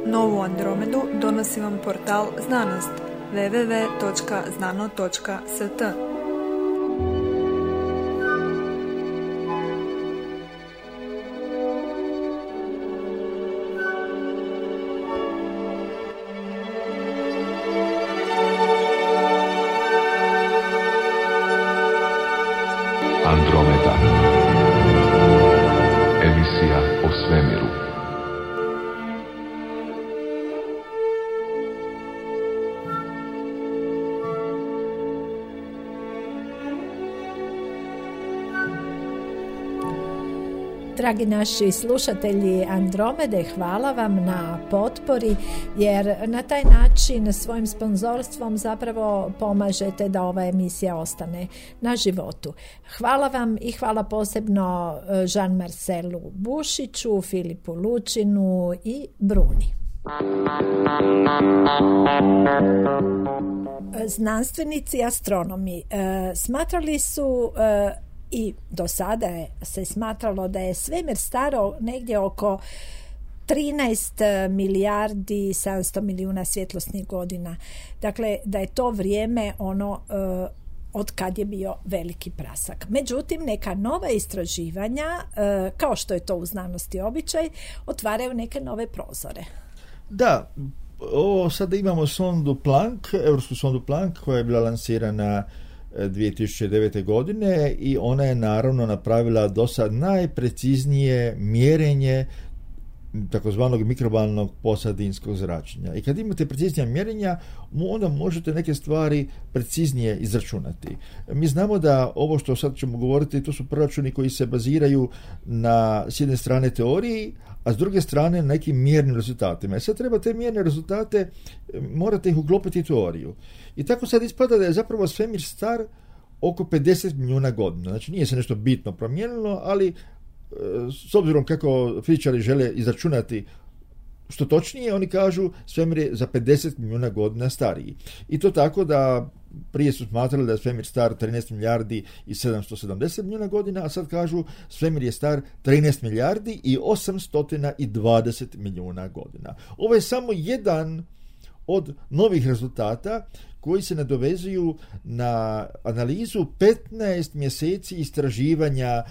Novu Andromedu donosi vam portal Znanost www.znano.st. Andromeda. Emisija o svemiru. Dragi naši slušatelji Andromede, hvala vam na potpori, jer na taj način svojim sponzorstvom zapravo pomažete da ova emisija ostane na životu. Hvala vam i hvala posebno Jean-Marcelu Bušiću, Filipu Lučinu i Bruni. Znanstvenici astronomi smatrali su i do sada se smatralo da je svemir staro negdje oko 13 milijardi 700 milijuna svjetlosnih godina. Dakle, da je to vrijeme od kad je bio veliki prasak. Međutim, neka nova istraživanja, kao što je to u znanosti običaj, otvaraju neke nove prozore. Da, ovo sada imamo sondu Planck, evropsku sondu Planck, koja je bila lansirana 2009. godine i ona je naravno napravila do sad najpreciznije mjerenje takozvanog mikrovalnog posadinskog zračenja. I kad imate preciznija mjerenja, onda možete neke stvari preciznije izračunati. Mi znamo da ovo što sad ćemo govoriti, to su proračuni koji se baziraju na s jedne strane teoriji, a s druge strane na nekim mjernim rezultatima. I sad treba te mjerne rezultate, morate ih uklopiti u teoriju. I tako sad ispada da je zapravo svemir star oko 50 milijuna godina. Znači nije se nešto bitno promijenilo, ali s obzirom kako fizičari žele izračunati što točnije, oni kažu svemir je za 50 milijuna godina stariji. I to tako da prije su smatrali da je svemir star 13 milijardi i 770 milijuna godina, a sad kažu svemir je star 13 milijardi i 820 milijuna godina. Ovo je samo jedan od novih rezultata koji se nadovezuju na analizu 15 mjeseci istraživanja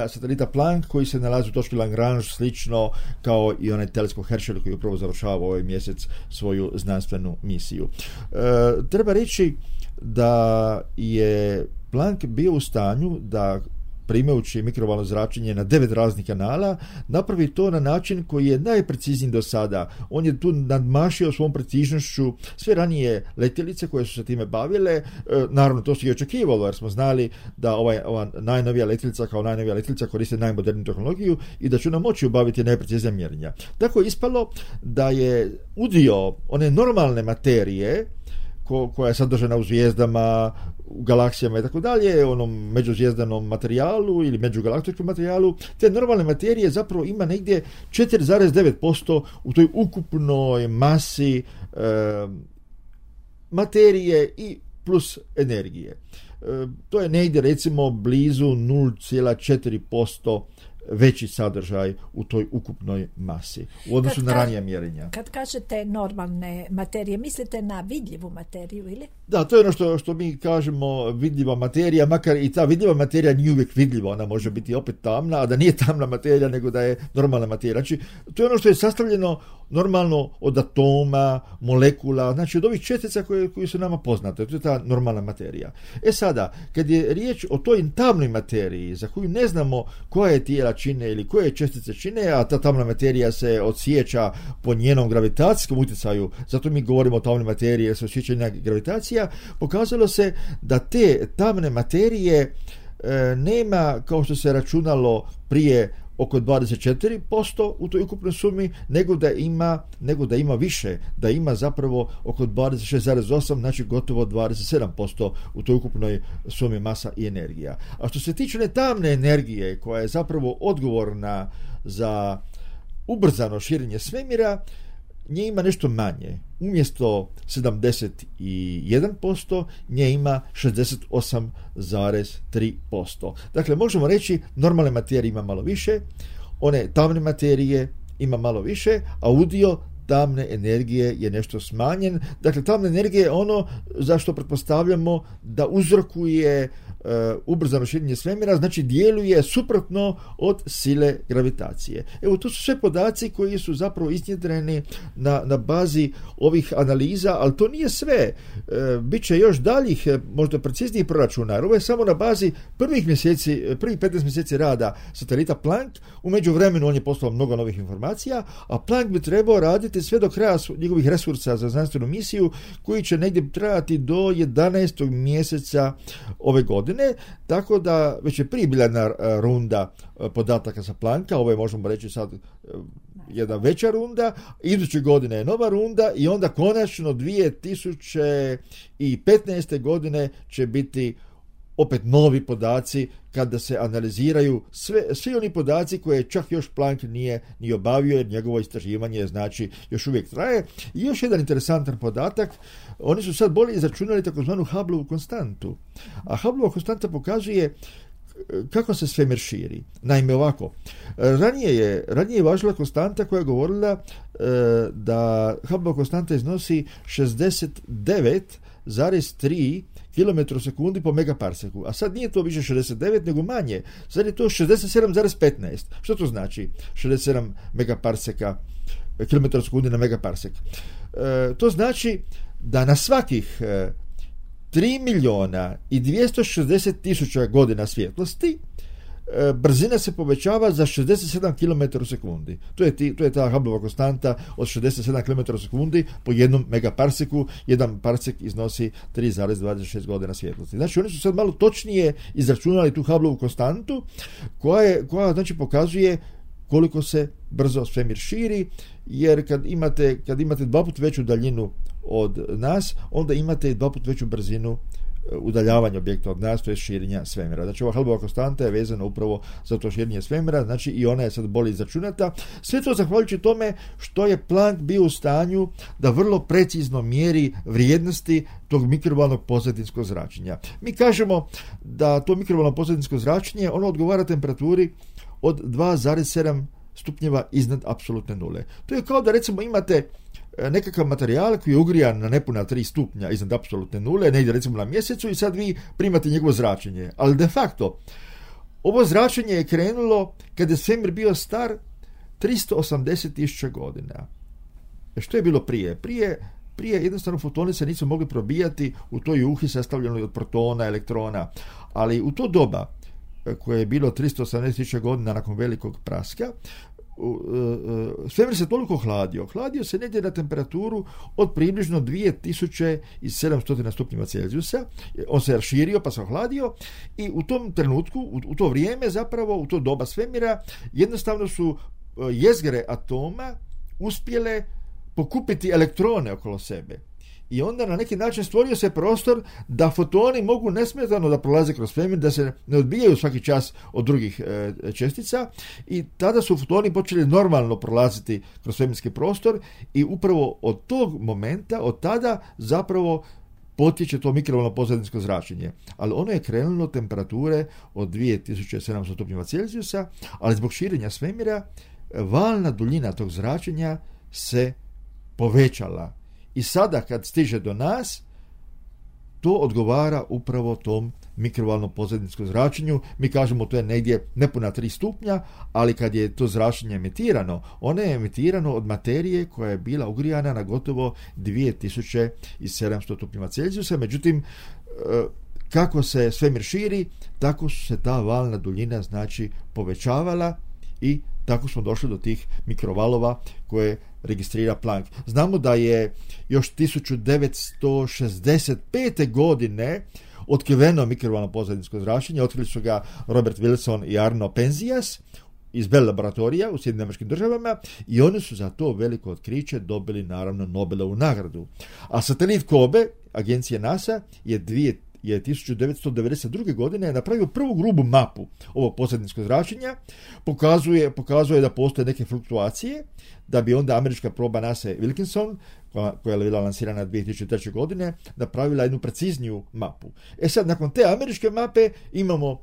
satelita Planck koji se nalazi u točki Lagrange, slično kao i onaj teleskop Herschel koji upravo završava ovaj mjesec svoju znanstvenu misiju. Treba reći da je Planck bio u stanju da primajući mikrovalno zračenje na 9 raznih kanala, napravi to na način koji je najprecizniji do sada. On je tu nadmašio svom preciznošću sve ranije letjelice koje su se time bavile. Naravno, to se i očekivalo, jer smo znali da ova najnovija letjelica kao najnovija letjelica koriste najmoderniju tehnologiju i da će ona moći obaviti najpreciznija mjerenja. Tako je ispalo da je udio one normalne materije koja je sadržana u zvijezdama, u galaksijama i tako dalje, onom međuzvijezdanom materijalu ili međugalaktičkom materijalu, te normalne materije zapravo ima negdje 4,9% u toj ukupnoj masi materije i plus energije. To je negdje recimo blizu 0,4% veći sadržaj u toj ukupnoj masi u odnosu na ranija mjerenja. Kad kažete normalne materije, mislite na vidljivu materiju ili? Da, to je ono što mi kažemo vidljiva materija, makar i ta vidljiva materija nije uvijek vidljiva, ona može biti opet tamna, a da nije tamna materija nego da je normalna materija. Znači, to je ono što je sastavljeno normalno od atoma, molekula, znači od ovih čestica koje su nama poznate, to je ta normalna materija. Sada, kad je riječ o toj tamnoj materiji, za koju ne znamo koje tijela čine ili koje čestice čine, a ta tamna materija se odsjeća po njenom gravitacijskom utjecaju, zato mi govorimo o tamnoj materiji jer se osjeća njena gravitacija, pokazalo se da te tamne materije nema, kao što se računalo prije, oko 24% u toj ukupnoj sumi, nego da ima više, da ima zapravo oko 26,8%, znači gotovo 27% u toj ukupnoj sumi masa i energija. A što se tiče ne tamne energije, koja je zapravo odgovorna za ubrzano širenje svemira, nje ima nešto manje. Umjesto 71%, nje ima 68,3%. Dakle, možemo reći normalne materije ima malo više, one tamne materije ima malo više, a udio tamne energije je nešto smanjen. Dakle, tamna energija je ono zašto pretpostavljamo da uzrokuje ubrzano širenje svemira, znači djeluje suprotno od sile gravitacije. Evo, to su sve podaci koji su zapravo iznjedreni na bazi ovih analiza, ali to nije sve. Biće još daljih, možda preciznijih proračuna, jer ovo je samo na bazi prvih 15 mjeseci rada satelita Planck. U međuvremenu on je poslao mnogo novih informacija, a Planck bi trebao raditi sve do kraja njegovih resursa za znanstvenu misiju, koji će negdje trajati do 11. mjeseca ove godine, tako da već je prije bila jedna runda podataka sa Plancka, ovo je, možemo reći sad, jedna veća runda, iduće godine je nova runda i onda konačno 2015. godine će biti opet novi podaci kada se analiziraju svi oni podaci koje čak još Planck nije ni obavio, jer njegovo istraživanje znači još uvijek traje. I još jedan interesantan podatak, oni su sad bolje izračunali takozvanu Hubbleovu konstantu. A Hubbleova konstanta pokazuje kako se svemir širi. Naime, ovako, ranije je važila konstanta koja je govorila da Hubbleova konstanta iznosi 69,3 km sekundi po megaparseku, a sad nije to više 69, nego manje. Sad je to 67,15. Što to znači? 67 megaparseka, km sekundi na megaparsek. To znači da na svakih 3.260.000 godina svjetlosti brzina se povećava za 67 km u sekundi. To je ta Hubbleova konstanta od 67 km u sekundi po jednom megaparseku. Jedan parsek iznosi 3,26 godina svjetlosti. Znači, oni su sad malo točnije izračunali tu Hubbleovu konstantu koja znači pokazuje koliko se brzo svemir širi, jer kad imate dva put veću daljinu od nas, onda imate i dva put veću brzinu udaljavanja objekta od nas, to je širenja svemira. Znači, ova Hubbleova konstanta je vezana upravo za to širenje svemira, znači i ona je sad bolje izračunata. Sve to zahvaljujući tome što je Planck bio u stanju da vrlo precizno mjeri vrijednosti tog mikrovalnog pozadinskog zračenja. Mi kažemo da to mikrovalno pozadinsko zračenje, ono odgovara temperaturi od 2,7 stupnjeva iznad apsolutne nule. To je kao da, recimo, imate nekakav materijal koji je ugrijan na nepuna 3 stupnja iznad apsolutne nule, negdje recimo na mjesecu, i sad vi primate njegovo zračenje. Ali de facto, ovo zračenje je krenulo kada je svemir bio star 380.000 godina. Što je bilo prije? Prije jednostavno fotoni se nisu mogli probijati u toj juhi sastavljenoj od protona, elektrona, ali u to doba koje je bilo 380.000 godina nakon velikog praska, svemir se toliko hladio se negdje na temperaturu od približno 2700 stupnjeva Celzijusa. On se raširio pa se ohladio i u tom trenutku, u to vrijeme zapravo, u to doba svemira, jednostavno su jezgre atoma uspjele pokupiti elektrone okolo sebe. I onda na neki način stvorio se prostor da fotoni mogu nesmetano da prolaze kroz svemir, da se ne odbijaju svaki čas od drugih čestica, i tada su fotoni počeli normalno prolaziti kroz svemirski prostor i upravo od tog momenta, od tada zapravo potječe to mikrovalno pozadinsko zračenje. Ali ono je krenulo temperature od 2700 stupnjeva Celzijusa, ali zbog širenja svemira valna duljina tog zračenja se povećala. I sada kad stiže do nas, to odgovara upravo tom mikrovalnom pozadinskom zračenju. Mi kažemo to je negdje nepuna 3 stupnja, ali kad je to zračenje emitirano, ono je emitirano od materije koja je bila ugrijana na gotovo 2700 stupnjeva Celzijusa. Međutim, kako se svemir širi, tako su se ta valna duljina znači povećavala i tako smo došli do tih mikrovalova koje registrira Planck. Znamo da je još 1965. godine otkriveno mikrovalno pozadinsko zračenje. Otkrili su ga Robert Wilson i Arno Penzias iz Bell laboratorija u Sjedinjenim Američkim Državama i oni su za to veliko otkriće dobili naravno Nobelovu nagradu. A satelit Kobe, agencije NASA, je 1992. godine napravio prvu grubu mapu ovog pozadinskog zračenja, pokazuje da postoje neke fluktuacije, da bi onda američka proba NASA Wilkinson, koja je bila lansirana 2003. godine, napravila jednu precizniju mapu. Sad, nakon te američke mape imamo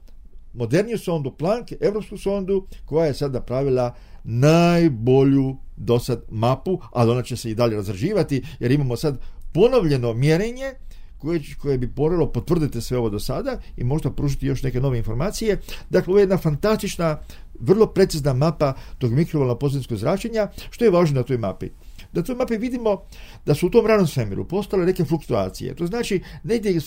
moderniju sondu Planck, evropsku sondu, koja je sad napravila najbolju do sad mapu, ali ona će se i dalje razrađivati, jer imamo sad ponovljeno mjerenje koje bi moralo potvrditi sve ovo do sada i možda pružiti još neke nove informacije. Dakle, ovo je jedna fantastična, vrlo precizna mapa tog mikrovalnog pozadinskog zračenja. Što je važno na toj mapi? Da na toj mapi vidimo da su u tom ranom svemiru postojale neke fluktuacije. To znači, negdje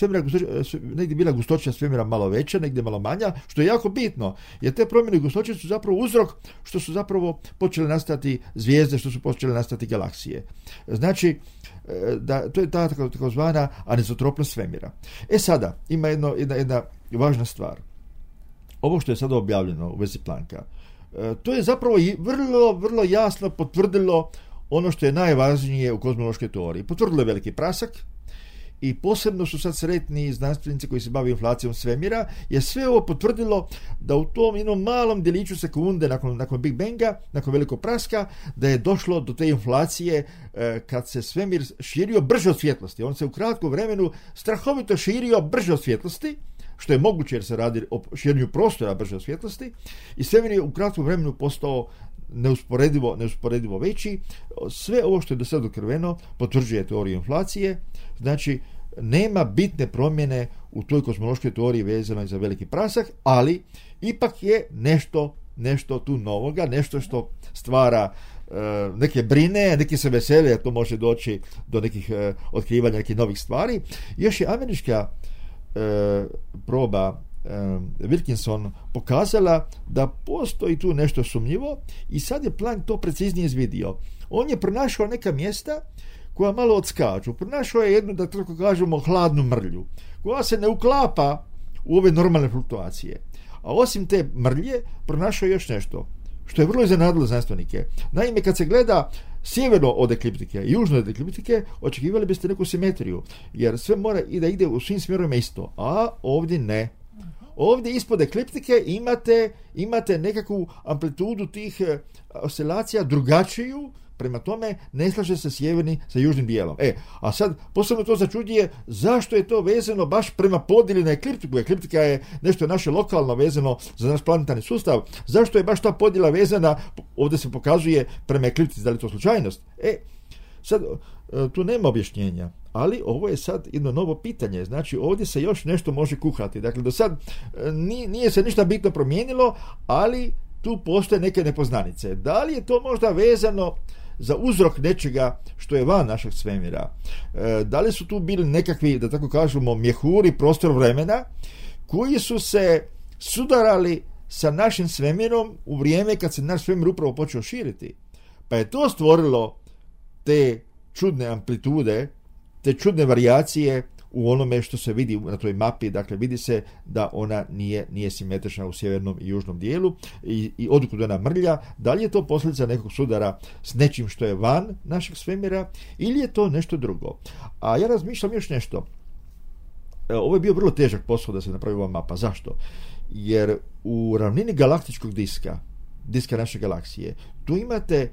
je bila gustoća svemira malo veća, negdje malo manja, što je jako bitno, jer te promjene gustoće su zapravo uzrok što su zapravo počele nastati zvijezde, što su počele nastati galaksije. Znači, da, to je ta takozvana anizotropnost svemira. Sada, ima jedna važna stvar. Ovo što je sada objavljeno u vezi Plancka, to je zapravo vrlo, vrlo jasno potvrdilo ono što je najvažnije u kozmološkoj teoriji. Potvrdilo je veliki prasak i posebno su sad sretni znanstvenici koji se bave inflacijom svemira, jer sve ovo potvrdilo da u tom jednom malom djeliću sekunde nakon Big Banga, nakon velikog praska, da je došlo do te inflacije kad se svemir širio brže od svjetlosti. On se u kratkom vremenu strahovito širio brže od svjetlosti, što je moguće jer se radi o širenju prostora brže od svjetlosti, i svemir je u kratkom vremenu postao neusporedivo veći. Sve ovo što je do sada otkriveno potvrđuje teoriju inflacije. Znači, nema bitne promjene u toj kozmološkoj teoriji vezano za veliki prasak, ali ipak je nešto tu novoga, nešto što stvara neke brine, neki se vesele, jer to može doći do nekih otkrivanja nekih novih stvari. Još je američka proba Wilkinson pokazala da postoji tu nešto sumnjivo i sad je Planck to preciznije izvidio. On je pronašao neka mjesta koja malo odskaču. Pronašao je jednu, da tako kažemo, hladnu mrlju, koja se ne uklapa u ove normalne fluktuacije. A osim te mrlje, pronašao je još nešto, što je vrlo iznenadilo znanstvenike. Naime, kad se gleda sjeverno od ekliptike i južno od ekliptike, očekivali biste neku simetriju, jer sve mora i da ide u svim smjerovima isto, a ovdje ne. Ovdje ispod ekliptike imate nekakvu amplitudu tih oscilacija drugačiju, prema tome ne slaže se sjeverni sa južnim dijelom. A sad posebno to začuđuje zašto je to vezano baš prema podjeli na ekliptiku. Ekliptika je nešto naše lokalno vezano za naš planetarni sustav. Zašto je baš ta podjela vezana, ovdje se pokazuje prema ekliptici, da li je to slučajnost? Sad, tu nema objašnjenja, ali ovo je sad jedno novo pitanje. Znači, ovdje se još nešto može kuhati. Dakle, do sad nije se ništa bitno promijenilo, ali tu postoje neke nepoznanice. Da li je to možda vezano za uzrok nečega što je van našeg svemira? Da li su tu bili nekakvi, da tako kažemo, mjehuri prostor vremena koji su se sudarali sa našim svemirom u vrijeme kad se naš svemir upravo počeo širiti? Pa je to stvorilo te čudne amplitude, te čudne varijacije u onome što se vidi na toj mapi. Dakle, vidi se da ona nije simetrična u sjevernom i južnom dijelu i odkud ona mrlja. Da li je to posljedica nekog sudara s nečim što je van našeg svemira ili je to nešto drugo? A ja razmišljam još nešto. Ovo je bio vrlo težak posao da se napravi ova mapa. Zašto? Jer u ravnini galaktičkog diska naše galaksije, tu imate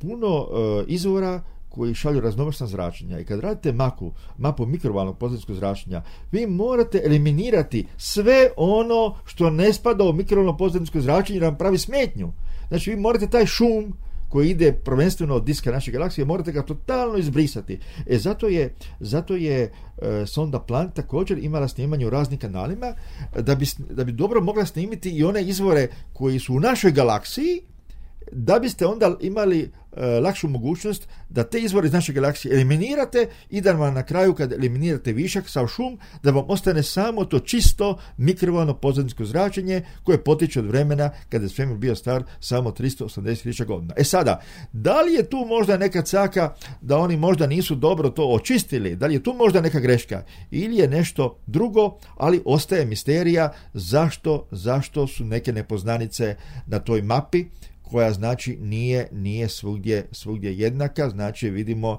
puno izvora koji šalju raznovrsna zračenja, i kad radite mapu mikrovalnog pozadinskog zračenja, vi morate eliminirati sve ono što ne spada u mikrovalno pozadinsko zračenje jer vam pravi smetnju. Znači, vi morate taj šum koji ide prvenstveno od diska naše galaksije, morate ga totalno izbrisati. Zato je sonda Planck također imala snimanje u raznim kanalima da bi dobro mogla snimiti i one izvore koji su u našoj galaksiji, da biste onda imali lakšu mogućnost da te izvore iz naše galaksije eliminirate i da vam na kraju, kad eliminirate višak, sav šum, da vam ostane samo to čisto mikrovalno pozadinsko zračenje koje potiče od vremena kada je svemir bio star samo 380.000 godina. Sada, da li je tu možda neka caka da oni možda nisu dobro to očistili, da li je tu možda neka greška ili je nešto drugo, ali ostaje misterija zašto su neke nepoznanice na toj mapi, koja znači nije svugdje jednaka. Znači, vidimo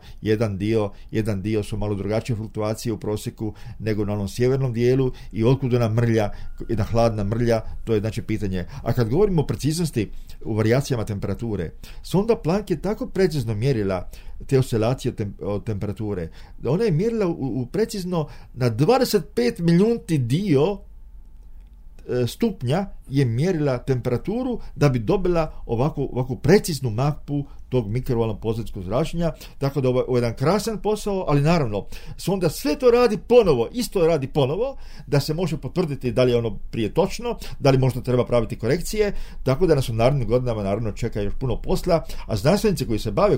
jedan dio su malo drugačije fluktuacije u prosjeku nego na onom sjevernom dijelu, i otkud ona mrlja, jedna hladna mrlja, to je znači pitanje. A kad govorimo o preciznosti u varijacijama temperature, sonda Planck je tako precizno mjerila te oscilacije od temperature, da ona je mjerila u precizno na 25 milijunti dio stupnja je mjerila temperaturu da bi dobila ovakvu preciznu mapu tog mikrovalnog pozitivskog zračenja, tako da ovo je jedan krasan posao, ali naravno sonda sve to radi ponovo, da se može potvrditi da li je ono prije točno, da li možda treba praviti korekcije, tako da nas u narednim godinama naravno čeka još puno posla, a znanstvenici koji se bave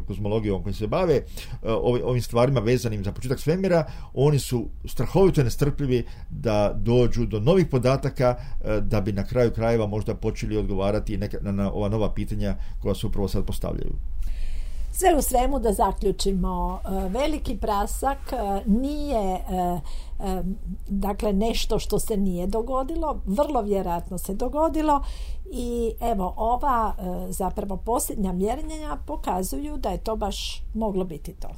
kozmologijom, koji se bave ovim stvarima vezanim za početak svemira, oni su strahovito nestrpljivi da dođu do novih podataka, da bi na kraju krajeva možda počeli odgovarati na ova nova pitanja koja se upravo sad postavljaju. Sve u svemu, da zaključimo, veliki prasak nije dakle nešto što se nije dogodilo, vrlo vjerojatno se dogodilo i evo ova zapravo posljednja mjerenja pokazuju da je to baš moglo biti to.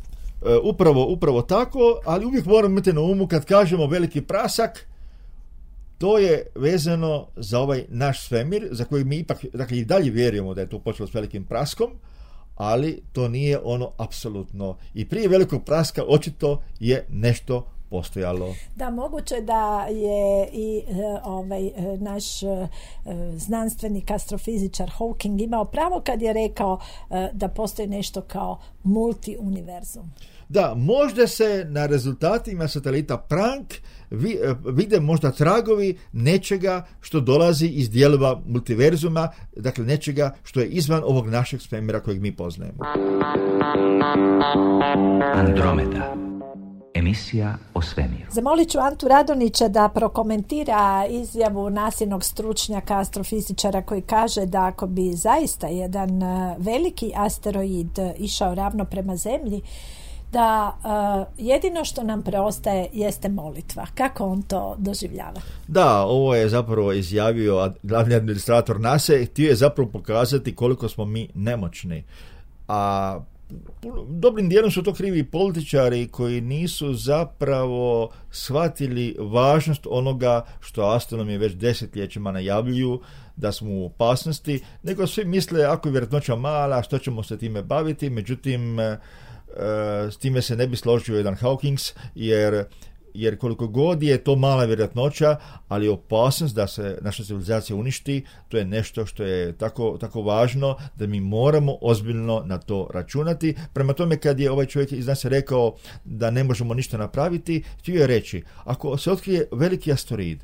Upravo tako, ali uvijek moramo imati na umu kad kažemo veliki prasak, to je vezano za ovaj naš svemir, za koji mi ipak, dakle, i dalje vjerujemo da je to počelo s velikim praskom, ali to nije ono apsolutno. I prije velikog praska očito je nešto postojalo. Da, moguće da je i naš znanstvenik astrofizičar Hawking imao pravo kad je rekao da postoji nešto kao multiuniverzum. Da, možda se na rezultatima satelita Planck vide možda tragovi nečega što dolazi iz dijelova multiverzuma, dakle nečega što je izvan ovog našeg svemira kojeg mi poznajemo. Andromeda. Emisija o svemiru. Zamolit ću Antu Radonića da prokomentira izjavu nasljednog stručnjaka astrofizičara koji kaže da ako bi zaista jedan veliki asteroid išao ravno prema Zemlji, da jedino što nam preostaje jeste molitva. Kako on to doživljava? Da, ovo je zapravo izjavio glavni administrator NASA, htio je zapravo pokazati koliko smo mi nemoćni. A dobrim dijelom su to krivi političari koji nisu zapravo shvatili važnost onoga što astronomi već desetljećima najavljuju, da smo u opasnosti, nego svi misle ako je vjerojatnoća mala, što ćemo se time baviti, međutim s time se ne bi složio jedan Hawkins, jer koliko god je to mala vjerojatnoća, ali opasnost da se naša civilizacija uništi, to je nešto što je tako važno da mi moramo ozbiljno na to računati. Prema tome, kad je ovaj čovjek iz nas rekao da ne možemo ništa napraviti, htio je reći, ako se otkrije veliki asteroid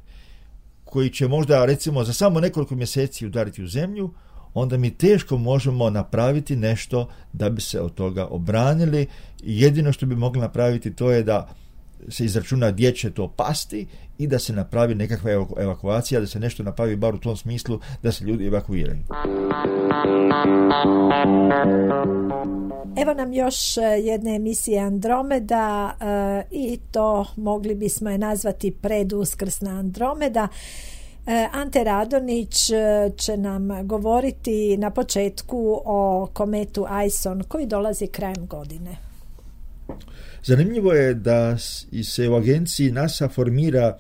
koji će možda recimo za samo nekoliko mjeseci udariti u Zemlju, onda mi teško možemo napraviti nešto da bi se od toga obranili. Jedino što bi mogli napraviti to je da se izračuna gdje će to pasti i da se napravi nekakva evakuacija, da se nešto napravi bar u tom smislu da se ljudi evakuiraju. Evo nam još jedne emisije Andromeda i to mogli bismo je nazvati preduskrsna Andromeda. Ante Radonić će nam govoriti na početku o kometu Ison koji dolazi krajem godine. Zanimljivo je da se u agenciji NASA formira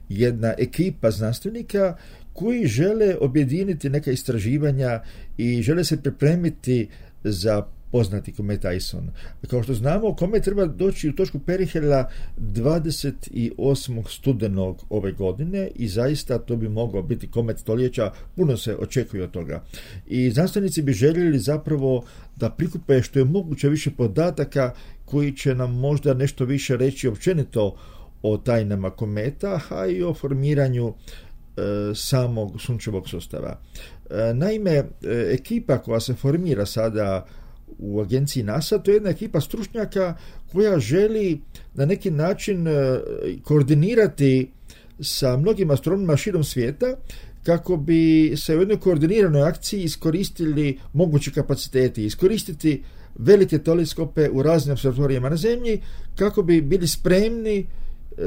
jedna ekipa znanstvenika koji žele objediniti neka istraživanja i žele se pripremiti za poznati komet Ison. Kao što znamo, komet treba doći u točku Perihela 28. studenog ove godine i zaista to bi mogao biti komet stoljeća, puno se očekuje od toga. I znanstvenici bi željeli zapravo da prikupe što je moguće više podataka koji će nam možda nešto više reći općenito o tajnama kometa, a i o formiranju samog sunčevog sustava. Naime, ekipa koja se formira sada u agenciji NASA, to je jedna ekipa stručnjaka koja želi na neki način koordinirati sa mnogim astronomima širom svijeta kako bi se u jednoj koordiniranoj akciji iskoristili mogući kapaciteti, iskoristiti velike teleskope u raznim observatorijama na Zemlji kako bi bili spremni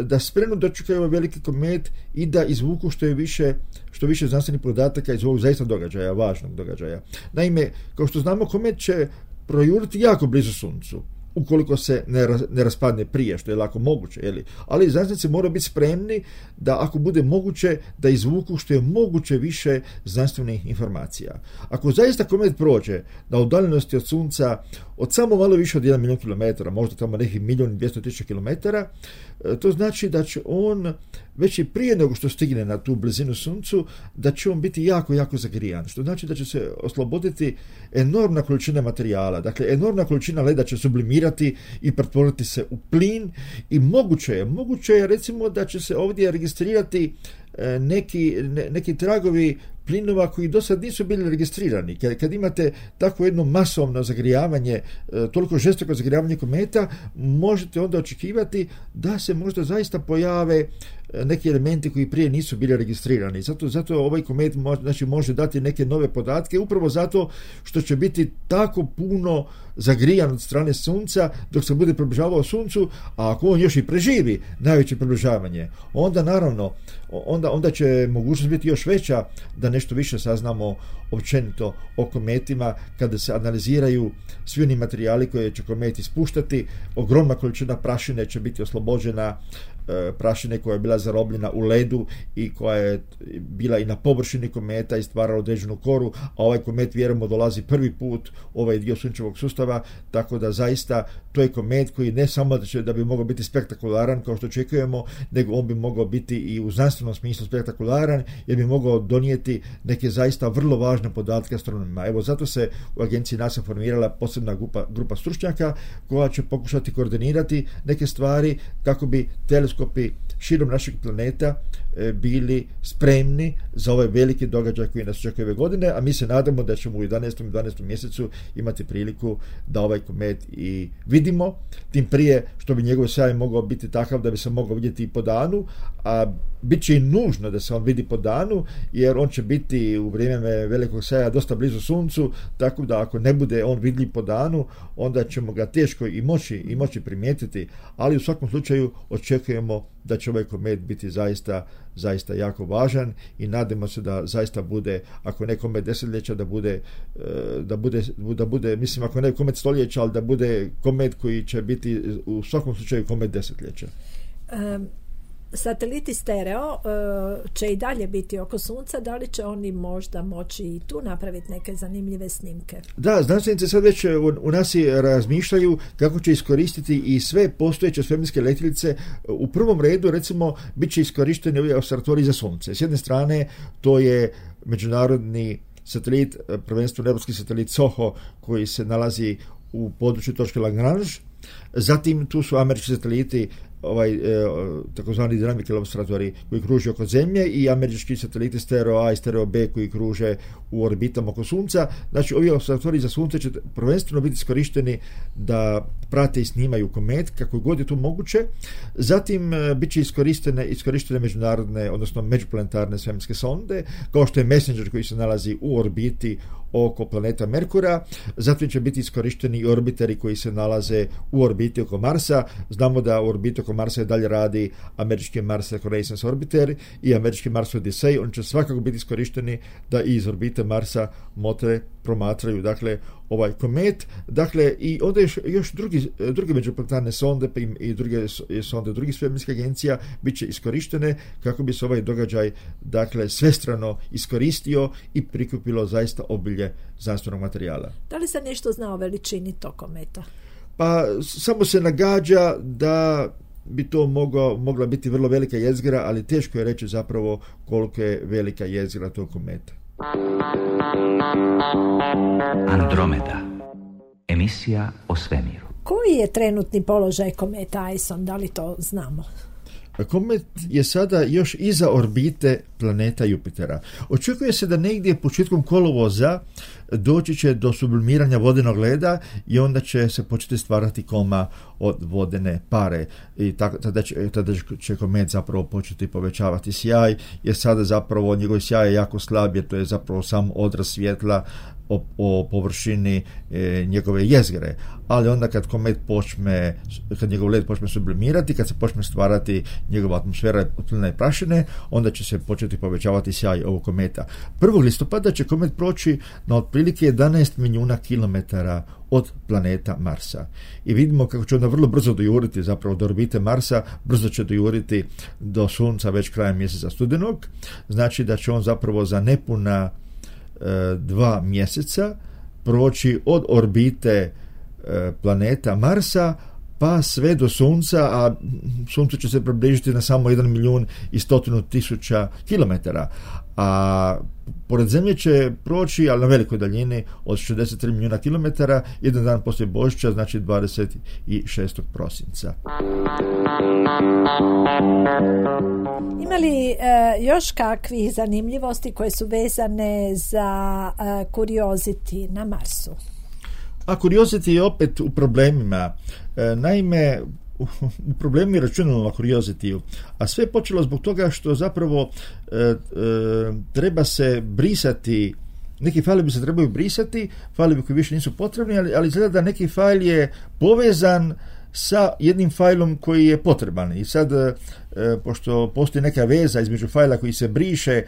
da spremno dočekaju ovaj veliki komet i da izvuku što više znanstvenih podataka iz ovog zaista događaja, važnog događaja. Naime, kao što znamo, komet će projuriti jako blizu Suncu ukoliko se ne raspadne prije, što je lako moguće. Ali znanstvenici moraju biti spremni da ako bude moguće da izvuku što je moguće više znanstvenih informacija. Ako zaista komet prođe na udaljenosti od Sunca od samo malo više od 1 milijun kilometara, možda tamo nekih 1.200.000 kilometara, to znači da će on već i prije nego što stigne na tu blizinu Suncu, da će on biti jako, jako zagrijan, što znači da će se osloboditi enormna količina materijala, dakle enormna količina leda će sublimirati i pretvoriti se u plin i moguće je recimo da će se ovdje registrirati neki tragovi plinova koji do sad nisu bili registrirani. Kad imate tako jedno masovno zagrijavanje, toliko žestoko zagrijavanje kometa, možete onda očekivati da se možda zaista pojave neki elementi koji prije nisu bili registrirani. Zato ovaj komet može dati neke nove podatke, upravo zato što će biti tako puno zagrijan od strane Sunca dok se bude približavao Suncu, a ako on još i preživi najveće približavanje, onda naravno onda će mogućnost biti još veća da nešto više saznamo općenito o kometima kada se analiziraju svi oni materijali koje će komet ispuštati. Ogromna količina prašine će biti oslobođena, prašine koja je bila zarobljena u ledu i koja je bila i na površini kometa i stvarala određenu koru, a ovaj komet vjerujemo dolazi prvi put u ovaj dio sunčevog sustava, tako da zaista to je komet koji ne samo da bi mogao biti spektakularan kao što očekujemo, nego on bi mogao biti i u znanstvenom smislu spektakularan, jer bi mogao donijeti neke zaista vrlo važne podatke astronomima. Evo, zato se u agenciji NASA formirala posebna grupa stručnjaka koja će pokušati koordinirati neke stvari kako bi teleskopi širom našeg planeta bili spremni za ovaj veliki događaj koji nas očekuje ove godine, a mi se nadamo da ćemo u 11. i 12. mjesecu imati priliku da ovaj komet i vidimo, tim prije što bi njegov sjaj mogao biti takav da bi se mogao vidjeti i po danu, a bit će i nužno da se on vidi po danu, jer on će biti u vrijeme velikog sjaja dosta blizu Suncu, tako da ako ne bude on vidljiv po danu, onda ćemo ga teško i moći primijetiti, ali u svakom slučaju očekujemo da će ovaj komet biti zaista jako važan i nadamo se da zaista bude, ako ne komet desetljeća, da bude, mislim, ako ne komet stoljeća, ali da bude komet koji će biti u svakom slučaju komet desetljeća. Sateliti stereo će i dalje biti oko Sunca, da li će oni možda moći i tu napraviti neke zanimljive snimke? Da, znanstvenici sad već u NASA razmišljaju kako će iskoristiti i sve postojeće svemirske letjelice. U prvom redu, recimo, bit će iskorišteni ovi observatoriji za Sunce. S jedne strane, to je međunarodni satelit, prvenstveno europski satelit SOHO, koji se nalazi u području točke Lagrange. Zatim tu su američki sateliti, takozvani Dynamical observatori koji kruže oko Zemlje, i američki sateliti Stereo A i Stereo B koji kruže u orbitama oko Sunca. Znači, ovi observatori za Sunce će prvenstveno biti iskorišteni da prate i snimaju komet kako god je to moguće. Zatim bit će iskorištene međunarodne, odnosno međuplanetarne svemirske sonde, kao što je Messenger koji se nalazi u orbiti oko planeta Merkura. Zatim će biti iskorišteni i orbiteri koji se nalaze u orbiti oko Marsa. Znamo da u orbiti oko Marsa i dalje radi američki Mars Reconnaissance Orbiter i američki Mars Odyssey. Oni će svakako biti iskorišteni da i iz orbite Marsa motre promatraju, dakle, ovaj komet. Dakle, i onda još druge međuplanetarne sonde i druge sonde drugih svemirskih agencija bit će iskorištene kako bi se ovaj događaj, dakle, svestrano iskoristio i prikupilo zaista obilje znanstvenog materijala. Da li se nešto zna o veličini tog kometa? Pa samo se nagađa da bi to mogla biti vrlo velika jezgra, ali teško je reći zapravo koliko je velika jezgra tog kometa. Andromeda. Emisija o svemiru. Koji je trenutni položaj kometa Ison? Da li to znamo? Komet je sada još iza orbite planeta Jupitera. Očekuje se da negdje početkom kolovoza doći će do sublimiranja vodenog leda i onda će se početi stvarati koma od vodene pare. I tada će komet zapravo početi povećavati sjaj, jer sada zapravo njegov sjaj je jako slab, jer to je zapravo sam odraz svjetla o površini njegove jezgre, ali onda kad njegov led počne sublimirati, kad se počne stvarati njegova atmosfera plina i prašine, onda će se početi povećavati sjaj ovog kometa. 1. listopada će komet proći na otprilike 11 milijuna kilometara od planeta Marsa. I vidimo kako će onda vrlo brzo dojuriti zapravo do orbite Marsa, brzo će dojuriti do Sunca već krajem mjeseca studenog. Znači da će on zapravo za nepuna 2 mjeseca proći od orbite planeta Marsa pa sve do Sunca, a Suncu će se približiti na samo 1.100.000 kilometara, a pored Zemlje će proći, ali na velikoj daljini, od 63 milijuna kilometara, jedan dan poslije Božića, znači 26. prosinca. Ima li još kakvih zanimljivosti koje su vezane za Curiosity na Marsu? A Curiosity je opet u problemima. Naime, u problemu je računalo na Curiosity-u, a sve je počelo zbog toga što zapravo treba se brisati, neki failovi se trebaju brisati, failovi koji više nisu potrebni, ali izgleda da neki fail je povezan sa jednim failom koji je potreban. I sad, pošto postoji neka veza između faila koji se briše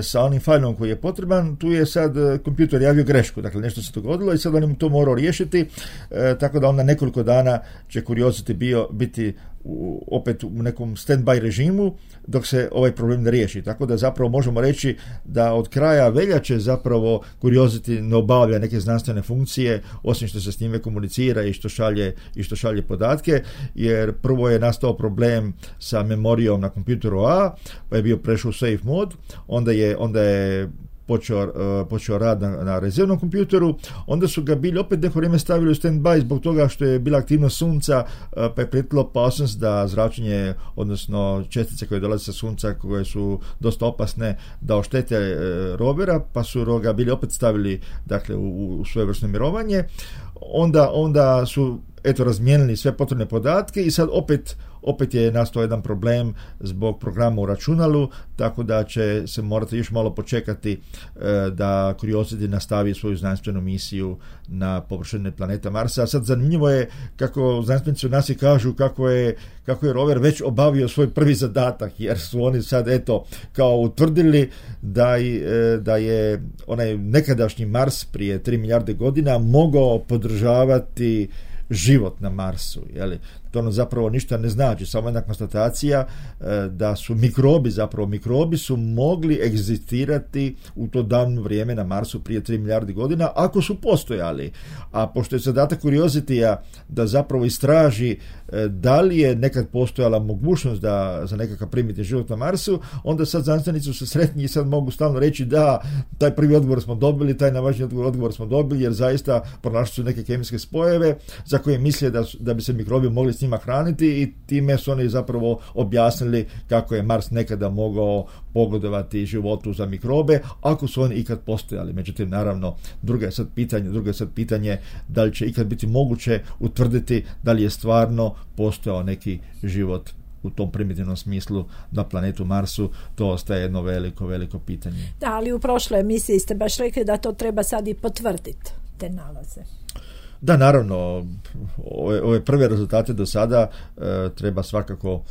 sa onim failom koji je potreban, tu je sad kompjuter javio grešku, dakle nešto se dogodilo i sad on im to morao riješiti, tako da onda nekoliko dana će Curiosity biti opet u nekom stand-by režimu dok se ovaj problem ne riješi. Tako da zapravo možemo reći da od kraja veljače zapravo Curiosity ne obavlja neke znanstvene funkcije, osim što se s njime komunicira i što šalje podatke, jer prvo je nastao problem sa memorijom na kompjuteru A, pa je bio prešao u safe mod, onda je počeo rad na rezervnom kompjuteru, onda su ga bili opet neko vrijeme stavili u stand-by zbog toga što je bila aktivnost Sunca, pa je prijetila opasnost da zračenje, odnosno čestice koje dolaze sa Sunca, koje su dosta opasne, da oštete rovera, pa su ga bili opet stavili, dakle, u svojevrsno mirovanje. Onda su razmijenili sve potrebne podatke i sad opet je nastao jedan problem zbog programa u računalu, tako da će se morati još malo počekati da Curiosity nastavi svoju znanstvenu misiju na površini planeta Marsa. A sad zanimljivo je kako znanstvenici u NASA kažu kako je rover već obavio svoj prvi zadatak, jer su oni sad kao utvrdili da je onaj nekadašnji Mars prije 3 milijarde godina mogao podržavati život na Marsu, jeli? To ono zapravo ništa ne znači, samo jedna konstatacija da su mikrobi su mogli egzistirati u to davno vrijeme na Marsu prije 3 milijardi godina, ako su postojali. A pošto je zadatak Curiosity-a da zapravo istraži da li je nekad postojala mogućnost za nekakav primitivni život na Marsu, onda sad znanstvenici su sretni i sad mogu stalno reći da taj prvi odgovor smo dobili, taj najvažniji odgovor smo dobili, jer zaista pronašli su neke kemijske spojeve za koje misle da bi se mikrobi mogli s njima hraniti, i time su oni zapravo objasnili kako je Mars nekada mogao pogodovati životu za mikrobe, ako su oni ikad postojali. Međutim, naravno, drugo je sad pitanje da li će ikad biti moguće utvrditi da li je stvarno postojao neki život u tom primitivnom smislu na planetu Marsu. To ostaje jedno veliko pitanje. Da, ali u prošloj emisiji ste baš rekli da to treba sad i potvrditi, te nalaze. Da, naravno, ove prve rezultate do sada treba svakako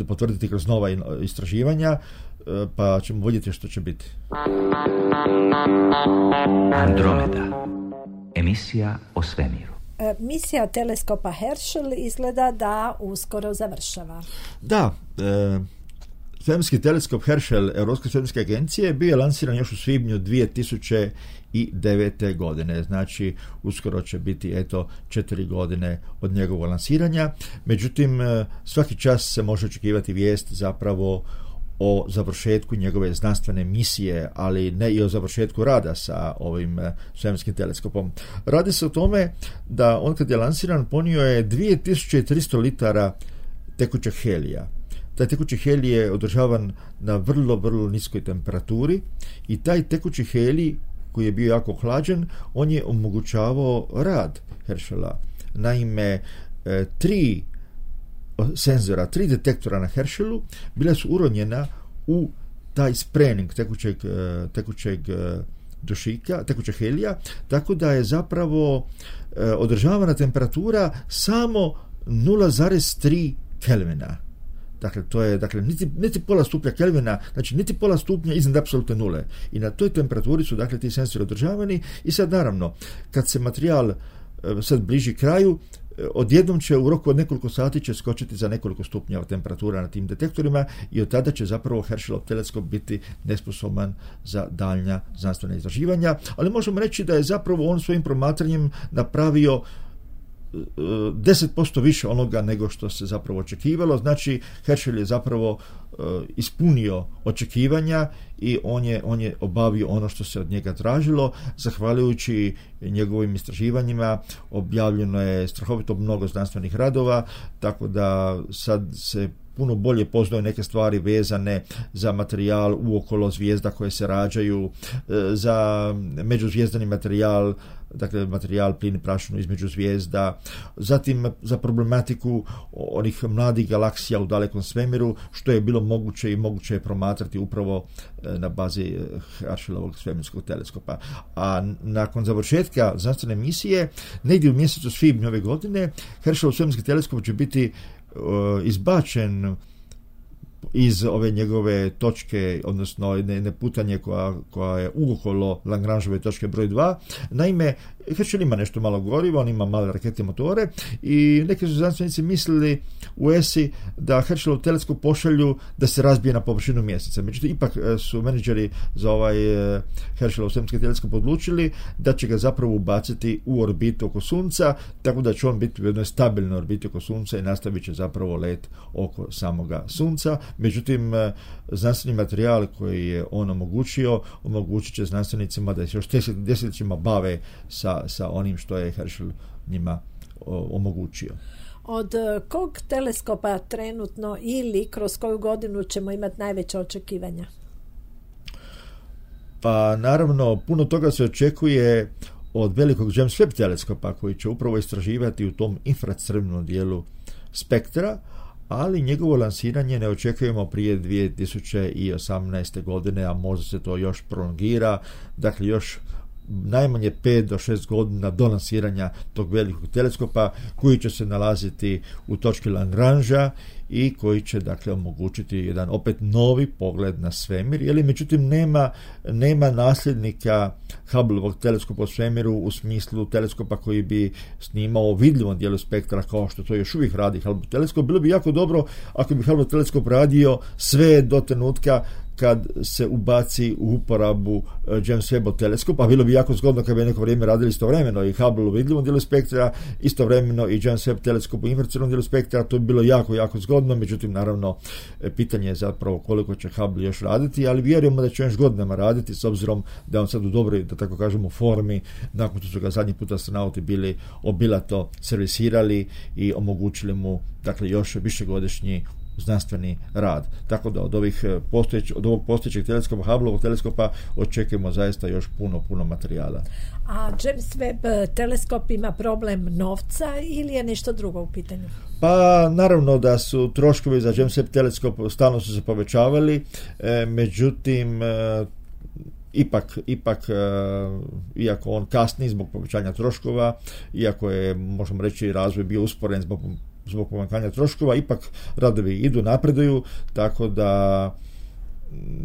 potvrditi kroz nova istraživanja, pa ćemo vidjeti što će biti. Andromeda. Emisija o svemiru. Misija teleskopa Herschel izgleda da uskoro završava. Da, svemirski teleskop Herschel Europske svemirske agencije bio je lansiran još u svibnju 2009. godine. Znači, uskoro će biti 4 godine od njegovog lansiranja. Međutim, svaki čas se može očekivati vijest zapravo o završetku njegove znanstvene misije, ali ne i o završetku rada sa ovim svemirskim teleskopom. Radi se o tome da on kad je lansiran ponio je 2300 litara tekućeg helija. Taj tekući helij je održavan na vrlo niskoj temperaturi i taj tekući helij, koji je bio jako hlađen, on je omogućavao rad Herschela. Naime, 3 senzora, 3 detektora na Herschelu bila su uronjena u taj sprening tekućeg dušika, tekućeg helija, tako da je zapravo održavana temperatura samo 0,3 Kelvina. Dakle, to je niti pola stupnja Kelvina, znači niti pola stupnja iznad apsolutne nule. I na toj temperaturi su dakle ti senzori održavani i sad naravno, kad se materijal sad bliži kraju, odjednom će u roku od nekoliko sati će skočiti za nekoliko stupnjeva temperatura na tim detektorima i od tada će zapravo Herschelov teleskop biti nesposoban za daljnja znanstvena istraživanja, ali možemo reći da je zapravo on svojim promatranjem napravio 10% više onoga nego što se zapravo očekivalo. Znači, Herschel je zapravo ispunio očekivanja i on je obavio ono što se od njega tražilo. Zahvaljujući njegovim istraživanjima objavljeno je strahovito mnogo znanstvenih radova, tako da sad se puno bolje poznaju neke stvari vezane za materijal uokolo zvijezda koje se rađaju, za međuzvijezdani materijal, dakle materijal plin i prašinu između zvijezda, zatim za problematiku onih mladih galaksija u dalekom svemiru, što je bilo moguće i moguće je promatrati upravo na bazi Herschelovog svemirskog teleskopa. A nakon završetka znanstvene misije, negdje u mjesecu svibnju ove godine, Herschelov svemirski teleskop će biti izbačen iz ove njegove točke, odnosno jedne putanje koja je uokolo Lagrangeove točke broj 2. Naime, Herschel ima nešto malo goriva, on ima male rakete motore i neki su znanstvenici mislili u ESI da Herschelov teleskop pošalju da se razbije na površinu mjeseca. Međutim, ipak su menadžeri za ovaj Herschelov svemirski teleskop odlučili da će ga zapravo ubaciti u orbitu oko Sunca, tako da će on biti u jednoj stabilnoj orbiti oko Sunca i nastavit će zapravo let oko samoga Sunca. Međutim, znanstveni materijal koji je on omogućit će znanstvenicima da se još desetljećima bave sa onim što je Herschel njima omogućio. Od kog teleskopa trenutno ili kroz koju godinu ćemo imati najveće očekivanja? Pa naravno, puno toga se očekuje od velikog James Webb teleskopa koji će upravo istraživati u tom infracrvenom dijelu spektra, ali njegovo lansiranje ne očekujemo prije 2018. godine, a možda se to još prolongira, dakle još najmanje 5 do 6 godina do lansiranja tog velikog teleskopa koji će se nalaziti u točki Lagrangea i koji će dakle omogućiti jedan opet novi pogled na svemir, jer međutim nema nasljednika Hubbleovog teleskopa u svemiru u smislu teleskopa koji bi snimao vidljivom dijelu spektra kao što to još uvijek radi Hubble teleskop. Bilo bi jako dobro ako bi Hubble teleskop radio sve do trenutka kad se ubaci u uporabu James Webb teleskop, a bilo bi jako zgodno kad bi neko vrijeme radili istovremeno i Hubble u vidljivom dijelu spektra, istovremeno i James Webb teleskop u infracrvenom dijelu spektra. To bi bilo jako zgodno, međutim naravno pitanje je zapravo koliko će Hubble još raditi, ali vjerujemo da će još godinama raditi s obzirom da on sad u dobroj, da tako kažemo, formi nakon što su ga zadnji put astronauti bili obilato servisirali i omogućili mu dakle još višegodišnji znanstveni rad. Tako da od ovog postojećeg teleskopa, Hubbleovog teleskopa, očekujemo zaista još puno materijala. A James Webb teleskop ima problem novca ili je nešto drugo u pitanju? Pa naravno da su troškovi za James Webb teleskop stalno su se povećavali, međutim ipak iako on kasni zbog povećanja troškova, iako je, možemo reći, razvoj bio usporen zbog povećanja troškova, ipak radovi idu, napreduju, tako da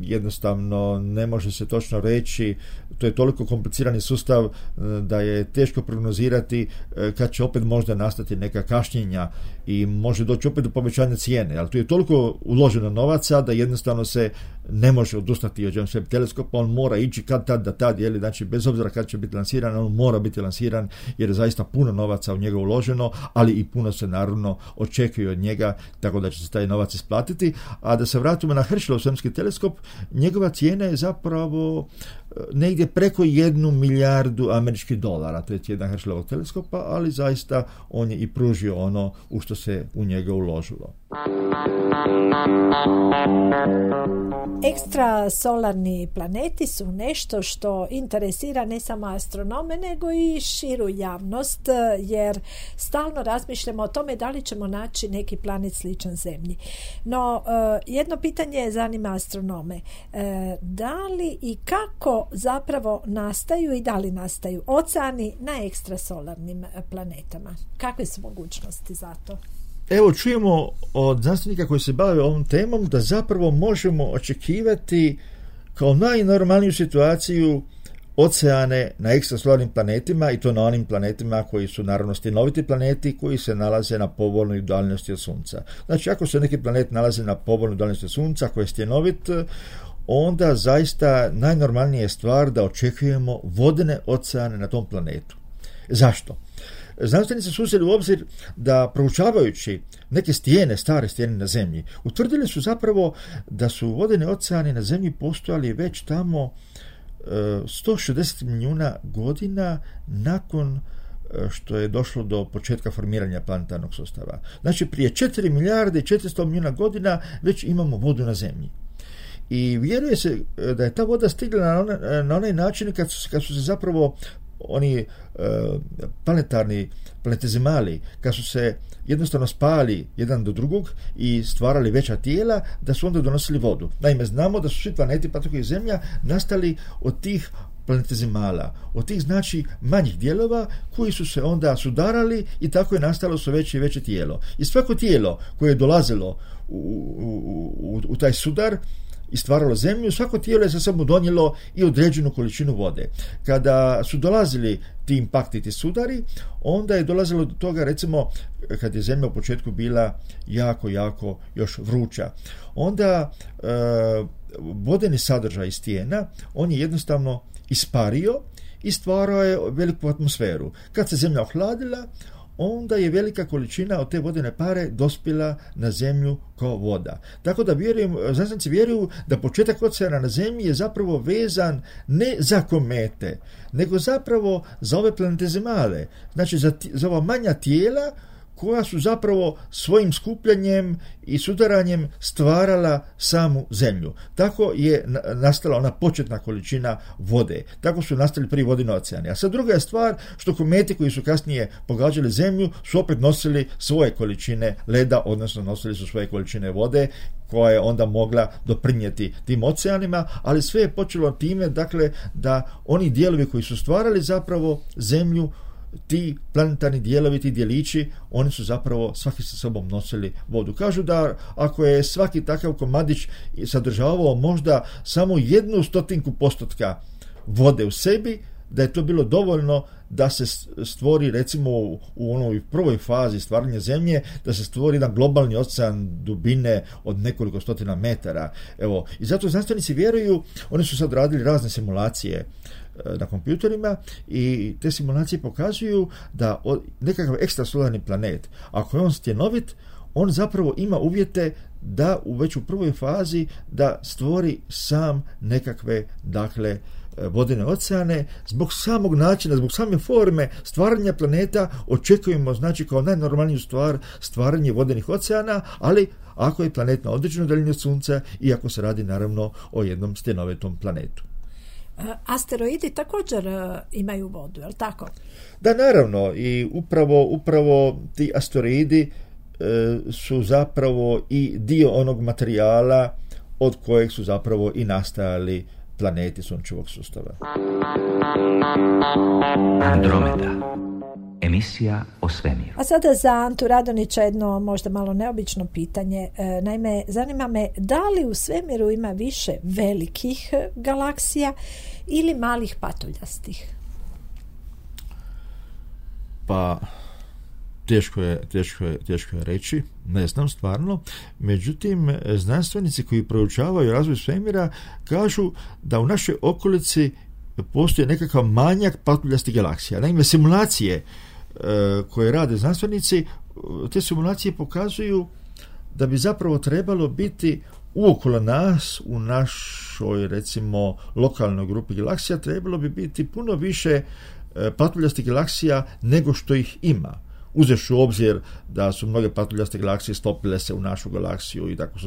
jednostavno ne može se točno reći, to je toliko komplicirani sustav da je teško prognozirati kad će opet možda nastati neka kašnjenja i može doći opet do povećanja cijene, ali tu je toliko uloženo novaca da jednostavno se ne može odustati od James Webb teleskopa, on mora ići kad tad da tad, znači bez obzira kad će biti lansiran, on mora biti lansiran jer je zaista puno novaca u njega uloženo, ali i puno se naravno očekuje od njega, tako da će se taj novac isplatiti. A da se vratimo na Herschelov svemirski teleskop, njegova cijena je zapravo negdje preko 1 milijardu američkih dolara, to je cijena Herschelovog teleskopa, ali zaista on je i pružio ono u što se u njega uložilo. Ekstrasolarni planeti su nešto što interesira ne samo astronome, nego i širu javnost, jer stalno razmišljamo o tome da li ćemo naći neki planet sličan Zemlji. No, jedno pitanje zanima astronome. Da li i kako zapravo nastaju i da li nastaju oceani na ekstrasolarnim planetama? Kakve su mogućnosti za to? Evo, čujemo od znanstvenika koji se bave ovom temom da zapravo možemo očekivati kao najnormalniju situaciju oceane na ekstrasolarnim planetima, i to na onim planetima koji su naravno stjenoviti planeti koji se nalaze na povoljnoj udaljenosti od Sunca. Znači, ako se neki planet nalazi na povoljnoj udaljenosti od Sunca koji je stjenovit, onda zaista najnormalnija je stvar da očekujemo vodene oceane na tom planetu. Zašto? Znanstvenici su uzeli u obzir da, proučavajući neke stijene, stare stijene na Zemlji, utvrdili su zapravo da su vodeni oceani na Zemlji postojali već tamo 160 milijuna godina nakon što je došlo do početka formiranja planetarnog sustava. Znači, prije 4 milijarde i 400 milijuna godina već imamo vodu na Zemlji. I vjeruje se da je ta voda stigla na onaj način kad su se zapravo oni planetezimali, kad su se jednostavno spali jedan do drugog i stvarali veća tijela, da su onda donosili vodu. Naime, znamo da su svi planeti, pa tako i Zemlja, nastali od tih planetezimala, od tih znači manjih dijelova koji su se onda sudarali i tako je nastalo sve veće i veće tijelo. I svako tijelo koje je dolazilo u taj sudar i stvaralo Zemlju, svako tijelo je sa sobom donijelo i određenu količinu vode. Kada su dolazili ti impakti, ti sudari, onda je dolazilo do toga, recimo, kad je Zemlja u početku bila jako još vruća. Onda vodeni sadržaj stijena, on je jednostavno ispario i stvarao je veliku atmosferu. Kad se Zemlja ohladila, onda je velika količina od te vodene pare dospjela na Zemlju kao voda. Tako da znanstvenici vjeruju da početak oceana na Zemlji je zapravo vezan ne za komete, nego zapravo za ove planetezimale, znači za ova manja tijela koja su zapravo svojim skupljanjem i sudaranjem stvarala samu Zemlju. Tako je nastala ona početna količina vode. Tako su nastali prvi vodeni oceani. A sad druga je stvar što kometi koji su kasnije pogađali Zemlju su opet nosili svoje količine leda, odnosno nosili su svoje količine vode koja je onda mogla doprinijeti tim oceanima, ali sve je počelo time, dakle, da oni dijelovi koji su stvarali zapravo Zemlju, ti planetarni dijelovi, ti dijelići, oni su zapravo svaki sa sobom nosili vodu. Kažu da ako je svaki takav komadić sadržavao možda samo 1/100% vode u sebi, da je to bilo dovoljno da se stvori, recimo u onoj prvoj fazi stvaranja Zemlje, da se stvori jedan globalni ocean dubine od nekoliko stotina metara. Evo, i zato znanstvenici vjeruju, oni su sad radili razne simulacije na kompjuterima i te simulacije pokazuju da nekakav ekstrasolarni planet, ako je on stjenovit, on zapravo ima uvjete da već u prvoj fazi da stvori sam nekakve, dakle, vodene oceane. Zbog samog načina, zbog same forme stvaranja planeta očekujemo, znači, kao najnormalniju stvar stvaranje vodenih oceana, ali ako je planet na određenoj daljini od Sunca i ako se radi naravno o jednom stjenovitom planetu. Asteroidi također imaju vodu, je li tako? Da, naravno, i upravo ti asteroidi su zapravo i dio onog materijala od kojeg su zapravo i nastajali planeti Sunčevog sustava. Andromeda. Emisija o svemiru. A sada za Antu Radonića jedno možda malo neobično pitanje. Naime, zanima me da li u svemiru ima više velikih galaksija ili malih patuljastih? Pa, teško je reći, ne znam stvarno. Međutim, znanstvenici koji proučavaju razvoj svemira kažu da u našoj okolici postoji nekakav manjak patuljastih galaksija. Naime, simulacije koje rade znanstvenici, te simulacije pokazuju da bi zapravo trebalo biti uokolo nas, u našoj, recimo, lokalnoj grupi galaksija, trebalo bi biti puno više patuljastih galaksija nego što ih ima. uzevši u obzir da su mnoge patuljaste galaksije stopile se u našu galaksiju i tako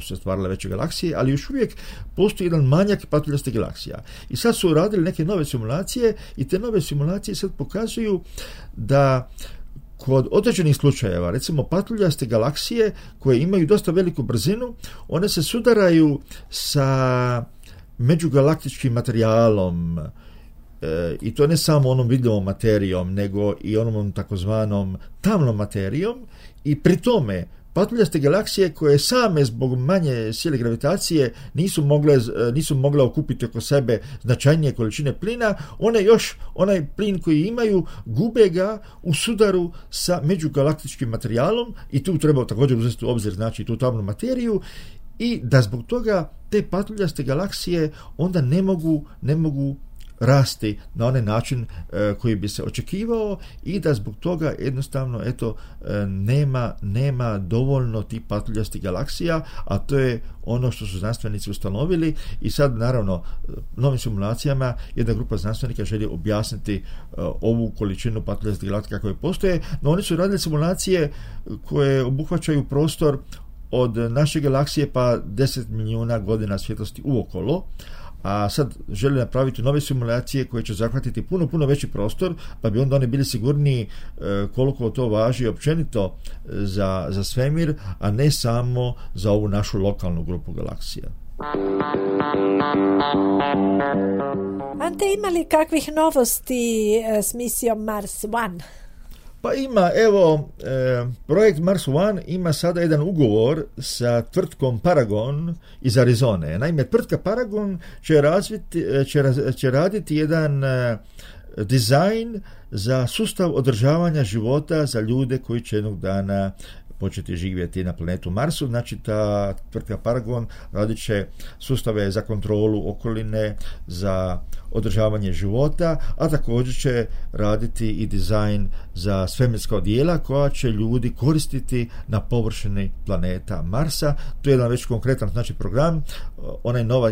su se stvarale veće galaksije, ali još uvijek postoji jedan manjak patuljaste galaksija. I sad su radili neke nove simulacije i te nove simulacije sad pokazuju da kod određenih slučajeva, recimo patuljaste galaksije koje imaju dosta veliku brzinu, one se sudaraju sa međugalaktičkim materijalom, i to ne samo onom vidljivom materijom, nego i onom takozvanom tamnom materijom, i pri tome patuljaste galaksije koje same zbog manje sile gravitacije nisu mogle okupiti oko sebe značajnije količine plina, one još onaj plin koji imaju gube ga u sudaru sa međugalaktičkim materijalom, i tu treba također uzeti u obzir, znači, tu tamnu materiju, i da zbog toga te patuljaste galaksije onda ne mogu rasti na onaj način koji bi se očekivao, i da zbog toga jednostavno nema dovoljno tih patuljastih galaksija, a to je ono što su znanstvenici ustanovili. I sad naravno novim simulacijama jedna grupa znanstvenika želi objasniti ovu količinu patuljastih galaksija koje postoje, no oni su radili simulacije koje obuhvaćaju prostor od naše galaksije pa 10 milijuna godina svjetlosti uokolo, a sad žele napraviti nove simulacije koje će zahvatiti puno veći prostor, pa bi onda oni bili sigurniji koliko to važi općenito za svemir, a ne samo za ovu našu lokalnu grupu galaksija. Ante, ima li kakvih novosti s misijom Mars One? Pa ima, evo, projekt Mars One ima sada jedan ugovor sa tvrtkom Paragon iz Arizone. Naime, tvrtka Paragon će raditi jedan dizajn za sustav održavanja života za ljude koji će jednog dana početi živjeti na planetu Marsu. Znači, ta tvrtka Paragon radit će sustave za kontrolu okoline, za održavanje života, a također će raditi i dizajn za svemirska odijela koja će ljudi koristiti na površini planeta Marsa. To je jedan već konkretan, znači, program.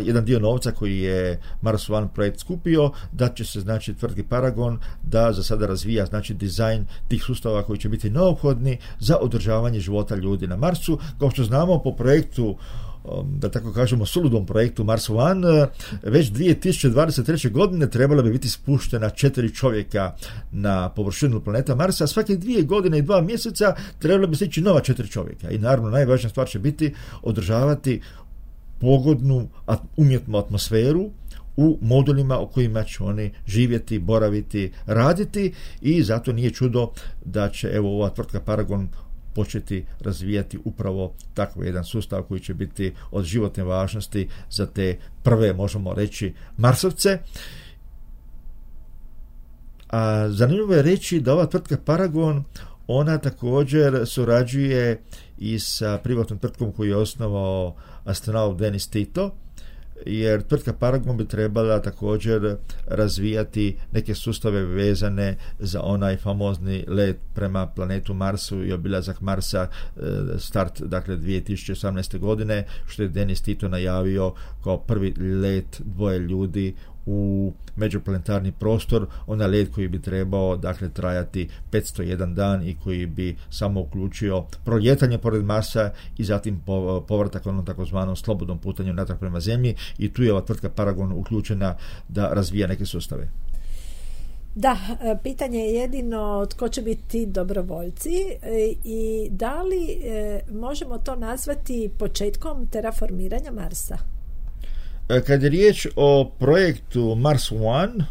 Jedan dio novca koji je Mars One projekt skupio, da će se, znači, tvrtki Paragon da za sada razvija, znači, dizajn tih sustava koji će biti neophodni za održavanje života ljudi na Marsu. Kao što znamo, po projektu, da tako kažemo, suludom projektu Mars One, već 2023. godine trebalo bi biti spuštena 4 čovjeka na površinu planeta Marsa. Svake 2 godine i 2 mjeseca trebalo bi stići nova 4 čovjeka. I naravno, najvažnija stvar će biti održavati pogodnu umjetnu atmosferu u modulima u kojima će oni živjeti, boraviti, raditi, i zato nije čudo da će, evo, ova tvrtka Paragon početi razvijati upravo takav jedan sustav koji će biti od životne važnosti za te prve, možemo reći, Marsovce. A zanimljivo je reći da ova tvrtka Paragon, ona također surađuje i sa privatnom tvrtkom koju je osnovao astronaut Denis Tito, jer tvrtka Paragon bi trebala također razvijati neke sustave vezane za onaj famozni let prema planetu Marsu i obilazak Marsa, start, dakle, 2018. godine, što je Denis Tito najavio kao prvi let 2 ljudi u međuplanetarni prostor, onaj let koji bi trebao, dakle, trajati 501 dan i koji bi samo uključio proljetanje pored Marsa i zatim povratak onom takozvanom slobodnom putanju natrag prema Zemlji, i tu je ova tvrtka Paragon uključena da razvija neke sustave. Da, pitanje je jedino tko će biti dobrovoljci i da li možemo to nazvati početkom terraformiranja Marsa? Kad je riječ o projektu Mars One,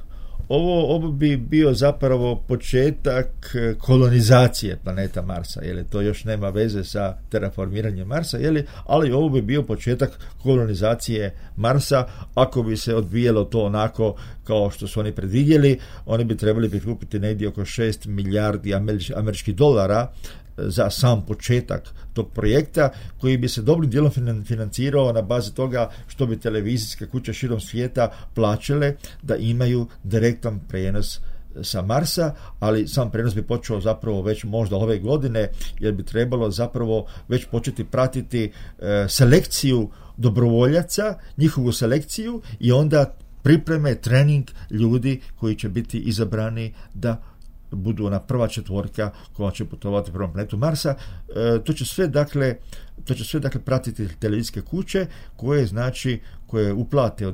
ovo bi bio zapravo početak kolonizacije planeta Marsa, to još nema veze sa terraformiranjem Marsa, ali ovo bi bio početak kolonizacije Marsa. Ako bi se odvijelo to onako kao što su oni predvidjeli, oni bi trebali prikupiti negdje oko 6 milijardi američkih dolara za sam početak tog projekta, koji bi se dobrim dijelom financirao na bazi toga što bi televizijske kuće širom svijeta plaćale da imaju direktan prijenos sa Marsa, ali sam prijenos bi počeo zapravo već možda ove godine, jer bi trebalo zapravo već početi pratiti selekciju dobrovoljaca, njihovu selekciju, i onda pripreme, trening ljudi koji će biti izabrani da budu ona prva četvorka koja će putovati prema planetu Marsa. To će sve dakle pratiti televizijske kuće koje uplate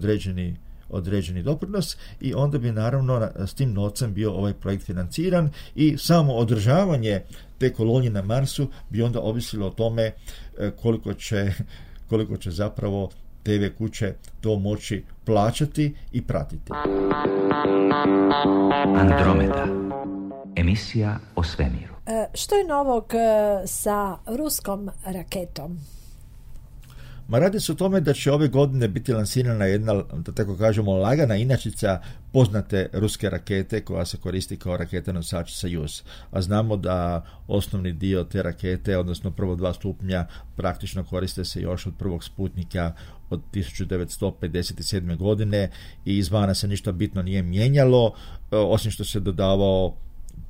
određeni doprinos i onda bi naravno s tim novcem bio ovaj projekt financiran i samo održavanje te kolonije na Marsu bi onda ovisilo o tome koliko će zapravo TV kuće to moći plaćati i pratiti. Andromeda. Emisija o svemiru. Što je novog sa ruskom raketom? Radi se o tome da će ove godine biti lansirana jedna, da tako kažemo, lagana inačica poznate ruske rakete koja se koristi kao raketa nosač Sojuz. A znamo da osnovni dio te rakete, odnosno prvo 2 stupnja, praktično koriste se još od prvog Sputnika od 1957. godine i izvana se ništa bitno nije mijenjalo, osim što se dodavao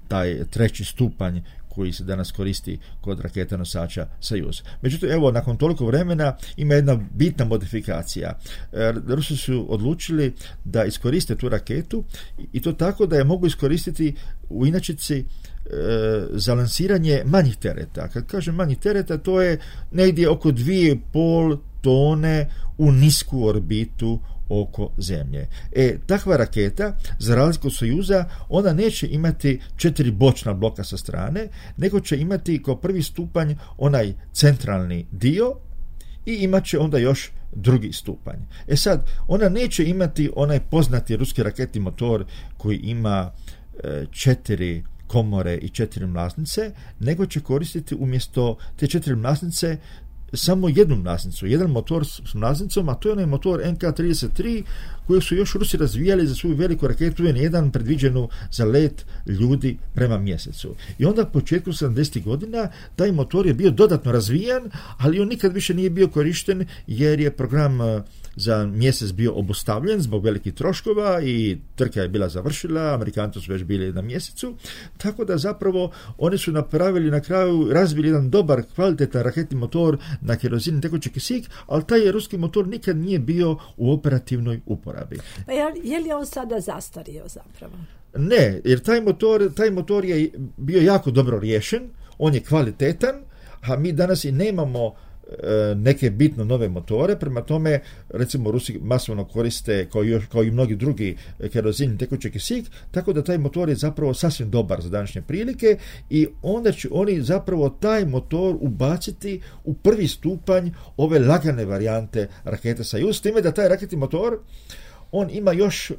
taj 3. stupanj koji se danas koristi kod raketa nosača Sojuz. Međutim, evo, nakon toliko vremena ima jedna bitna modifikacija. Rusi su odlučili da iskoriste tu raketu i to tako da je mogu iskoristiti u inačici za lansiranje manjih tereta. Kad kažem manjih tereta, to je negdje oko 2,5 tone u nisku orbitu oko Zemlje. Takva raketa, za razliku od Sojuza, ona neće imati 4 bočna bloka sa strane, nego će imati kao prvi stupanj onaj centralni dio i imat će onda još drugi stupanj. Sad, ona neće imati onaj poznati ruski raketni motor koji ima 4 komore i 4 mlaznice, nego će koristiti umjesto te 4 mlaznice samo jednu mlaznicu, jedan motor s mlaznicom, a to je onaj motor NK-33 koji su još Rusi razvijali za svoju veliku raketu N1 predviđenu za let ljudi prema mjesecu. I onda u početku 70. godina taj motor je bio dodatno razvijan, ali on nikad više nije bio korišten jer je program za mjesec bio obustavljen zbog velikih troškova i trka je bila završila, Amerikanci su već bili na mjesecu, tako da zapravo oni su napravili na kraju, razvili jedan dobar, kvalitetan raketni motor na kerozin i tekući kisik, ali taj ruski motor nikad nije bio u operativnoj uporabi. Je li on sada zastario zapravo? Ne, jer taj motor je bio jako dobro riješen, on je kvalitetan, a mi danas i nemamo neke bitno nove motore, prema tome recimo Rusi masovno koriste kao i mnogi drugi kerozin i tekući kisik, tako da taj motor je zapravo sasvim dobar za današnje prilike i onda će oni zapravo taj motor ubaciti u prvi stupanj ove lagane varijante rakete Sojuz, s time da taj raketni motor on ima još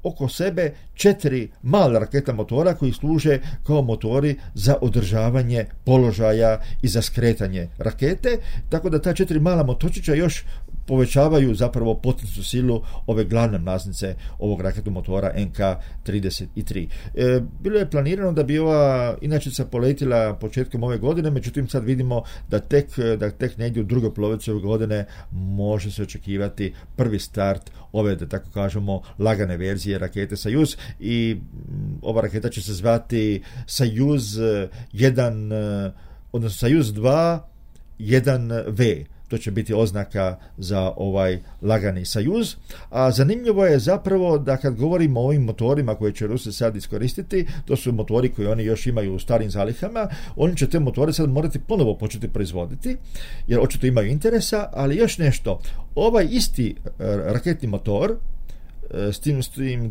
oko sebe 4 mala raketa motora koji služe kao motori za održavanje položaja i za skretanje rakete, tako da ta 4 mala motorčića još povećavaju zapravo potencijalnu silu ove glavne mlaznice ovog raketnog motora NK-33. Bilo je planirano da bi ova inačica poletila početkom ove godine, međutim sad vidimo da tek negdje u drugoj polovici ove godine može se očekivati prvi start ove, da tako kažemo, lagane verzije rakete Sojuz i ova raketa će se zvati Sojuz 1, odnosno Sojuz 2 1V. To će biti oznaka za ovaj lagani Sojuz. A zanimljivo je zapravo da kad govorimo o ovim motorima koje će Rusi sad iskoristiti, to su motori koji oni još imaju u starim zalihama, oni će te motore sad morati ponovo početi proizvoditi, jer očito imaju interesa, ali još nešto, ovaj isti raketni motor, s tim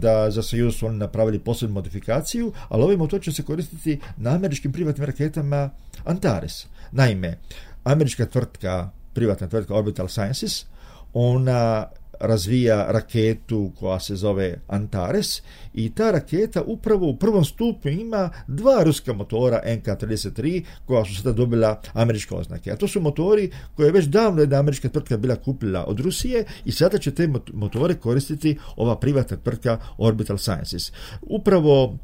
da za Sojuz su oni napravili posebnu modifikaciju, ali ovaj motor će se koristiti na američkim privatnim raketama Antares. Naime, američka privatna tvrtka Orbital Sciences, ona razvija raketu koja se zove Antares i ta raketa upravo u prvom stupnju ima 2 ruska motora NK-33 koja su sada dobila američke oznake. A to su motori koje je već davno jedna američka tvrtka bila kupila od Rusije i sada će te motore koristiti ova privatna tvrtka Orbital Sciences. Upravo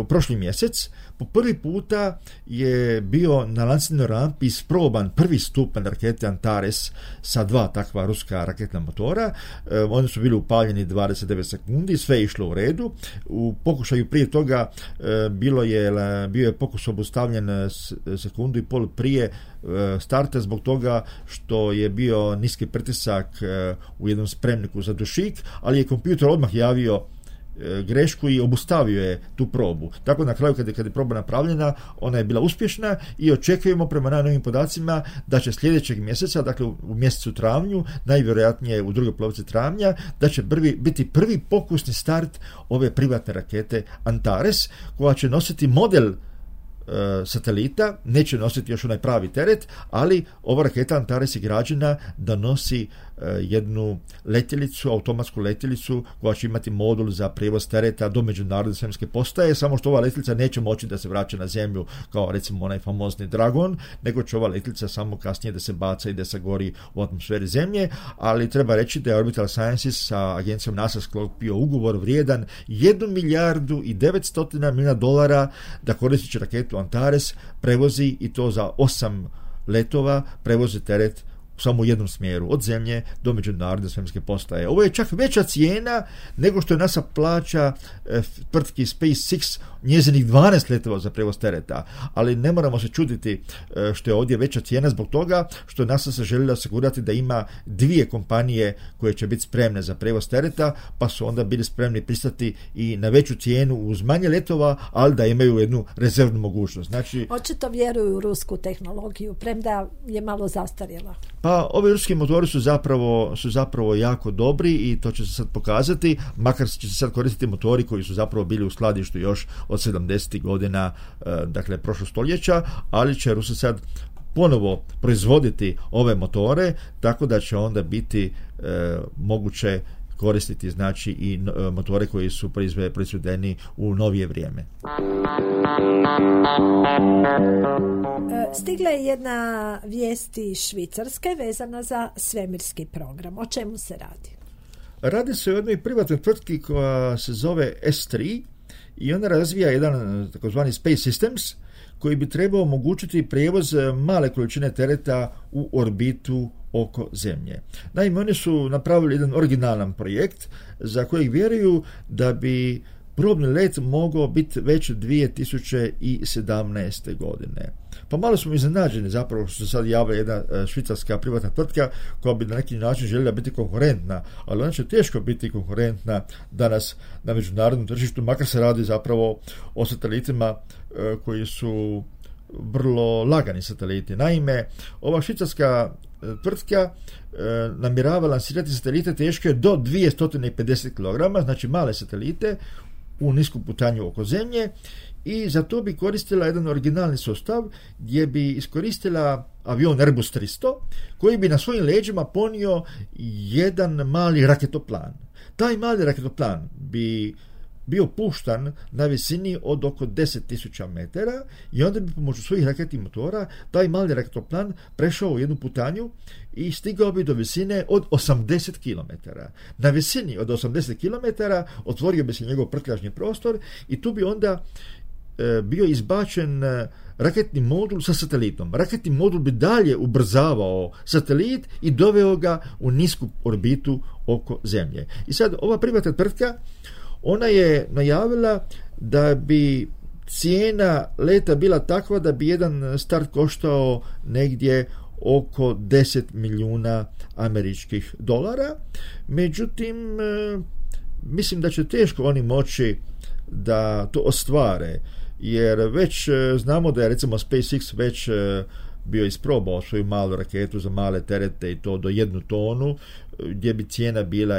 u prošli mjesec po prvi puta je bio na lansirnoj rampi isproban prvi stupanj rakete Antares sa 2 takva ruska raketna motora. Oni su bili upaljeni 29 sekundi, sve je išlo u redu. U pokušaju prije toga bio je pokus obustavljen sekundu i pol prije starta zbog toga što je bio niski pritisak u jednom spremniku za dušik, ali je kompjuter odmah javio grešku i obustavio je tu probu. Tako na kraju kad je proba napravljena, ona je bila uspješna i očekujemo prema najnovim podacima da će sljedećeg mjeseca, dakle u mjesecu travnju, najvjerojatnije u drugoj polovici travnja, da će biti prvi pokusni start ove privatne rakete Antares, koja će nositi model satelita, neće nositi još onaj pravi teret, ali ova raketa Antares je građena da nosi jednu letjelicu, automatsku letjelicu koja će imati modul za prijevoz tereta do međunarodne svemirske postaje, samo što ova letjelica neće moći da se vraća na zemlju kao recimo onaj famozni Dragon, nego će ova letjelica samo kasnije da se baca i da se gori u atmosferi zemlje, ali treba reći da je Orbital Sciences sa agencijom NASA sklopio ugovor vrijedan 1 milijardu i 900 milijuna dolara da koristeći raketu Antares prevozi, i to za 8 letova, prevozi teret samo u jednom smjeru, od zemlje do međunarodne svemirske postaje. Ovo je čak veća cijena nego što je NASA plaća tvrtki SpaceX njezinih 12 letova za prevoz tereta, ali ne moramo se čuditi što je ovdje veća cijena zbog toga što NASA se željela osigurati da ima 2 kompanije koje će biti spremne za prevoz tereta, pa su onda bili spremni pristati i na veću cijenu uz manje letova, ali da imaju jednu rezervnu mogućnost. Znači, očito vjeruju u rusku tehnologiju, premda je malo zastarjela. Pa ovi ruski motori su zapravo jako dobri i to će se sad pokazati, makar će se sad koristiti motori koji su zapravo bili u skladištu još od 70. godina, dakle prošlog stoljeća, ali će Rusi sad ponovo proizvoditi ove motore, tako da će onda biti moguće koristiti znači i motore koji su proizvedeni u novije vrijeme. Stigla je jedna vijest iz Švicarske vezana za svemirski program. O čemu se radi? Radi se o jednoj privatnoj tvrtki koja se zove S3 i ona razvija jedan takozvani Space Systems koji bi trebao omogućiti prijevoz male količine tereta u orbitu oko Zemlje. Naime, oni su napravili jedan originalan projekt za kojeg vjeruju da bi probni let mogao biti već 2017. godine. Pa malo smo iznenađeni zapravo što se sad javlja jedna švicarska privatna tvrtka koja bi na neki način željela biti konkurentna, ali ona će teško biti konkurentna danas na međunarodnom tržištu, makar se radi zapravo o satelitima koji su vrlo lagani sateliti. Naime, ova švicarska tvrtka namjerava lansirati satelite teške do 250 kg, znači male satelite u nisku putanju oko Zemlje, i za to bi koristila jedan originalni sustav gdje bi iskoristila avion Airbus 300 koji bi na svojim leđima ponio jedan mali raketoplan. Taj mali raketoplan bi bio puštan na visini od oko 10.000 metara i onda bi pomoću svojih raketnih motora taj mali raketoplan prešao u jednu putanju i stigao bi do visine od 80 km. Na visini od 80 km otvorio bi se njegov prtljažni prostor i tu bi onda bio izbačen raketni modul sa satelitom. Raketni modul bi dalje ubrzavao satelit i doveo ga u nisku orbitu oko Zemlje. I sad ova privatna tvrtka, ona je najavila da bi cijena leta bila takva da bi jedan start koštao negdje oko 10 milijuna američkih dolara. Međutim, mislim da će teško oni moći da to ostvare, jer već znamo da je recimo SpaceX već bio isprobao svoju malu raketu za male terete i to do 1 tonu, gdje bi cijena bila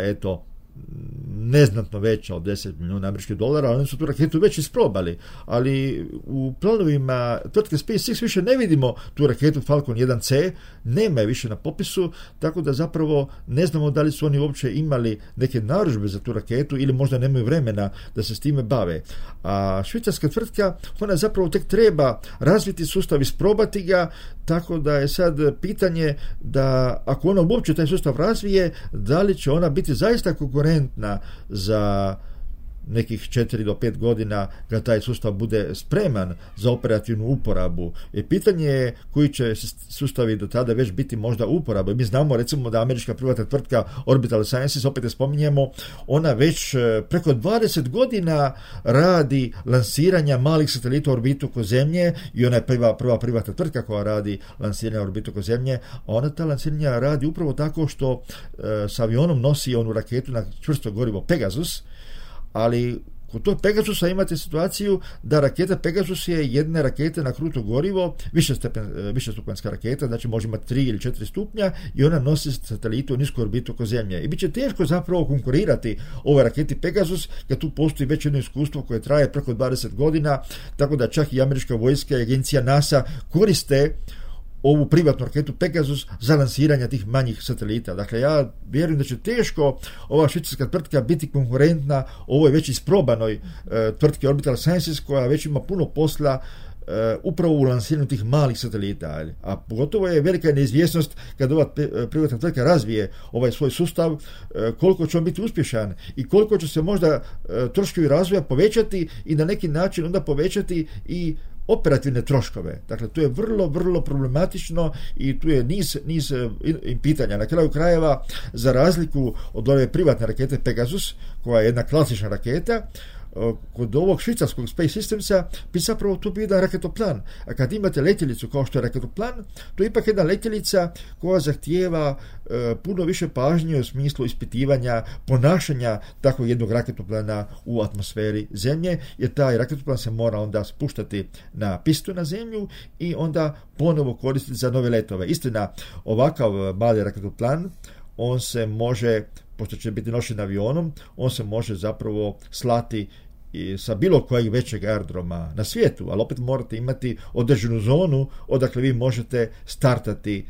neznatno veća od 10 milijuna američkih dolara, ali oni su tu raketu već isprobali, ali u planovima tvrtke SpaceX više ne vidimo tu raketu Falcon 1C, nema je više na popisu, tako da zapravo ne znamo da li su oni uopće imali neke narudžbe za tu raketu ili možda nemaju vremena da se s time bave. A švicarska tvrtka, ona zapravo tek treba razviti sustav, isprobati ga, tako da je sad pitanje da ako ona uopće taj sustav razvije, da li će ona biti zaista konkurentna za nekih 4 do 5 godina kad taj sustav bude spreman za operativnu uporabu. I pitanje je koji će sustavi do tada već biti možda uporabe. Mi znamo recimo da američka privatna tvrtka Orbital Sciences, opet je spominjemo, ona već preko 20 godina radi lansiranja malih satelita u orbitu oko Zemlje i ona je prva privatna tvrtka koja radi lansiranje u orbitu oko Zemlje, a ona ta lansiranja radi upravo tako što s avionom nosi onu raketu na čvrsto gorivo Pegasus, ali kod tog Pegasusa imate situaciju da raketa Pegasus je jedna raketa na kruto gorivo, višestupanjska raketa, znači može imati 3 ili 4 stupnja i ona nosi satelitu u nisku orbitu oko Zemlje. I bit će teško zapravo konkurirati ovoj raketi Pegasus, kad tu postoji već jedno iskustvo koje traje preko 20 godina, tako da čak i američka vojska i agencija NASA koriste ovu privatnu raketu Pegasus za lansiranje tih manjih satelita. Dakle, ja vjerujem da će teško ova švicarska tvrtka biti konkurentna ovoj već isprobanoj tvrtki Orbital Sciences, koja već ima puno posla upravo u lansiranju tih malih satelita. A pogotovo je velika neizvjesnost kad ova privatna tvrtka razvije ovaj svoj sustav, koliko će on biti uspješan i koliko će se možda troškovi razvoja povećati i na neki način onda povećati i operativne troškove. Dakle, to je vrlo, vrlo problematično i tu je niz pitanja. Na kraju krajeva, za razliku od ove privatne rakete Pegasus, koja je jedna klasična raketa, kod ovog švicarskog Space Systemsa bi zapravo tu bio jedan raketoplan. A kad imate letjelicu kao što je raketoplan, to je ipak jedna letjelica koja zahtijeva puno više pažnje u smislu ispitivanja ponašanja takvog jednog raketoplana u atmosferi Zemlje, jer taj raketoplan se mora onda spuštati na pistu na Zemlju i onda ponovo koristiti za nove letove. Istina, ovakav mali raketoplan, on se može, pošto će biti nošen avionom, on se može zapravo slati i sa bilo kojeg većeg aerodroma na svijetu, ali opet morate imati određenu zonu odakle vi možete startati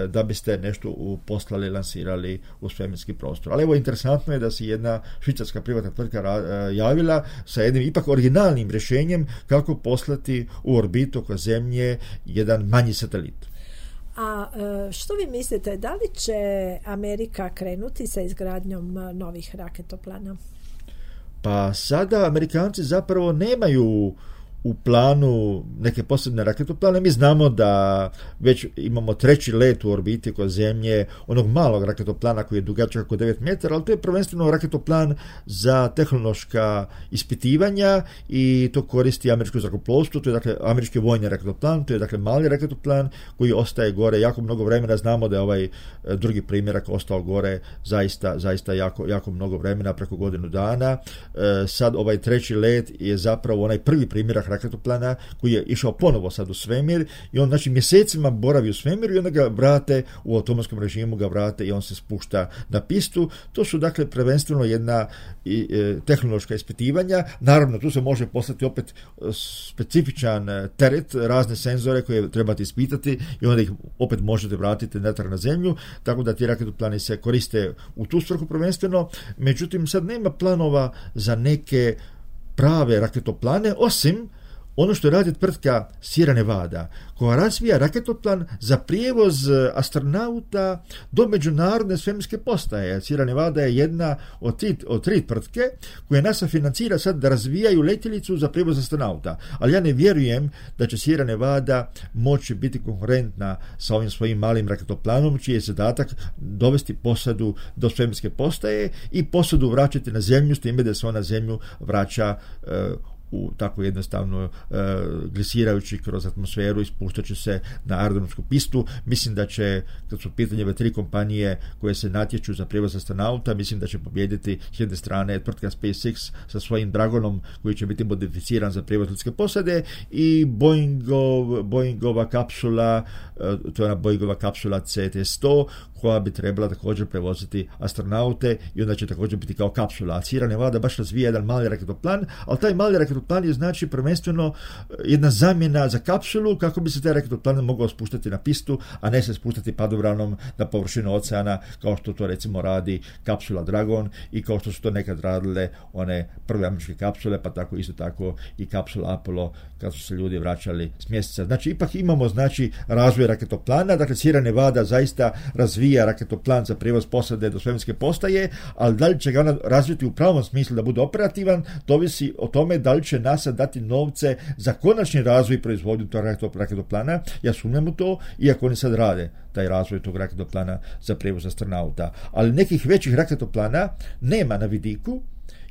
da biste nešto poslali, lansirali u svemirski prostor. Ali evo, interesantno je da se jedna švicarska privatna tvrtka javila sa jednim ipak originalnim rješenjem kako poslati u orbitu oko Zemlje jedan manji satelit. A što vi mislite, da li će Amerika krenuti sa izgradnjom novih raketoplana? Pa sada Amerikanci zapravo nemaju u planu neke posebne raketoplane. Mi znamo da već imamo 3. let u orbiti oko Zemlje, onog malog raketoplana koji je dugačak oko 9 metara, ali to je prvenstveno raketoplan za tehnološka ispitivanja i to koristi američko zrakoplovstvo. To je dakle američki vojni raketoplan, to je dakle mali raketoplan koji ostaje gore jako mnogo vremena. Znamo da je ovaj drugi primjerak ostao gore zaista jako mnogo vremena, preko godinu dana. Sad ovaj 3. let je zapravo onaj prvi primjerak raketoplana koji je išao ponovo sad u svemir i on znači mjesecima boravi u svemiru i onda ga vrate u automatskom režimu, ga vrate i on se spušta na pistu. To su dakle prvenstveno jedna tehnološka ispitivanja. Naravno, tu se može poslati opet specifičan teret, razne senzore koje trebate ispitati i onda ih opet možete vratiti natrag na Zemlju, tako da ti raketoplani se koriste u tu svrhu prvenstveno. Međutim, sad nema planova za neke prave raketoplane, osim ono što radi tvrtka Sierra Nevada, koja razvija raketoplan za prijevoz astronauta do međunarodne svemirske postaje. Sierra Nevada je jedna od 3 tvrtke koje NASA financira sad da razvijaju letjelicu za prijevoz astronauta. Ali ja ne vjerujem da će Sierra Nevada moći biti konkurentna sa ovim svojim malim raketoplanom, čiji je zadatak dovesti posadu do svemirske postaje i posadu vraćati na Zemlju, s time da se ona Zemlju vraća u tako jednostavno glisirajući kroz atmosferu i spuštajući se na aerodromsku pistu. Mislim da će, kad su pitanje ove 3 kompanije koje se natječu za prijevoz astronauta, mislim da će pobijediti s jedne strane tvrtka SpaceX sa svojim Dragonom koji će biti modificiran za prijevoz ljudske posade i Boeingova kapsula, to je ona Boeingova kapsula CT-100 koja bi trebala također prevoziti astronaute i onda će također biti kao kapsula. A Sierra Nevada baš razvija jedan mali raketoplan, ali taj mali raketoplan je znači prvenstveno jedna zamjena za kapsulu kako bi se taj raketoplan mogao spuštati na pistu, a ne se spuštati padobranom na površinu oceana kao što to recimo radi kapsula Dragon i kao što su to nekad radile one prve američke kapsule, pa tako isto tako i kapsula Apollo kad su se ljudi vraćali s mjeseca. Znači ipak imamo znači razvoj raketoplana, dakle Sierra Nevada zaista razvija raketoplan za prijevoz posade do svemirske postaje, ali da li će ga ona razviti u pravom smislu da bude operativan, to ovisi o tome da li će NASA dati novce za konačni razvoj i proizvodnju tog raketoplana. Ja sumnjam u to, iako oni sad rade taj razvoj tog raketoplana za prijevoz astronauta. Ali nekih većih raketoplana nema na vidiku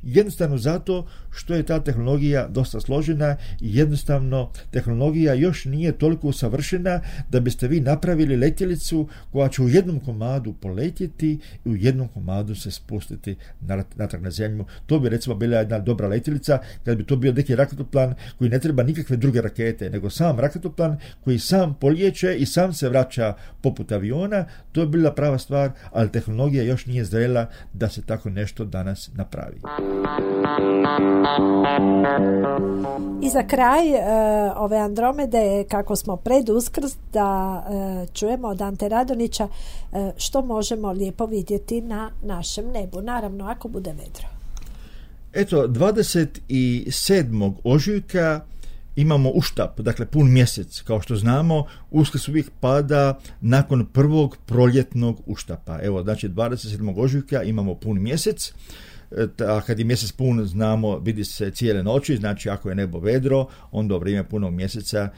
jednostavno zato što je ta tehnologija dosta složena i jednostavno tehnologija još nije toliko usavršena da biste vi napravili letjelicu koja će u jednom komadu poletjeti i u jednom komadu se spustiti natrag na zemlju. To bi recimo bila jedna dobra letjelica kad bi to bio neki raketoplan koji ne treba nikakve druge rakete, nego sam raketoplan koji sam polijeće i sam se vraća poput aviona. To je bila prava stvar, ali tehnologija još nije zrela da se tako nešto danas napravi. I za kraj ove Andromede, kako smo pred Uskrs, da čujemo od Ante Radonića što možemo lijepo vidjeti na našem nebu, naravno ako bude vedro. Eto, 27. ožujka imamo uštap, dakle pun mjesec. Kao što znamo, Uskrs uvijek pada nakon prvog proljetnog uštapa. Evo, znači 27. ožujka imamo pun mjesec, a kad je mjesec pun, znamo, vidi se cijele noći, znači ako je nebo vedro, onda u vrijeme punog mjeseca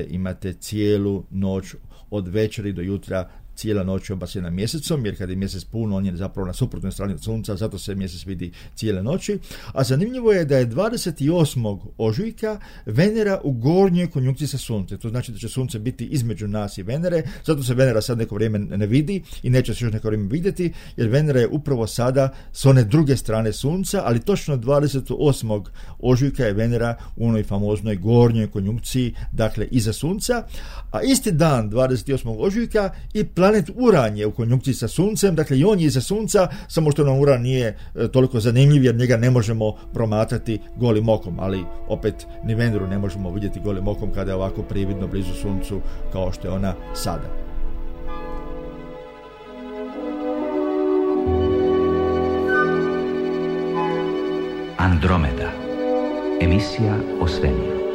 imate cijelu noć od večeri do jutra, cijela noć obasjena mjesecom, jer kad je mjesec pun, on je zapravo na suprotnoj strani od sunca, zato se mjesec vidi cijele noći. A zanimljivo je da je 28. ožujka Venera u gornjoj konjunkciji sa suncem. To znači da će sunce biti između nas i Venere, zato se Venera sad neko vrijeme ne vidi i neće se još neko vrijeme vidjeti, jer Venera je upravo sada s one druge strane sunca, ali točno 28. ožujka je Venera u onoj famoznoj gornjoj konjunkciji, dakle iza sunca, a isti dan 28. ožujka i planet Uran je u konjunkciji sa suncem, dakle i on je iza sunca, samo što nam Uran nije toliko zanimljiv jer njega ne možemo promatrati golim okom, ali opet ni Veneru ne možemo vidjeti golim okom kada je ovako prividno blizu suncu kao što je ona sada. Andromeda, emisija o svemiru.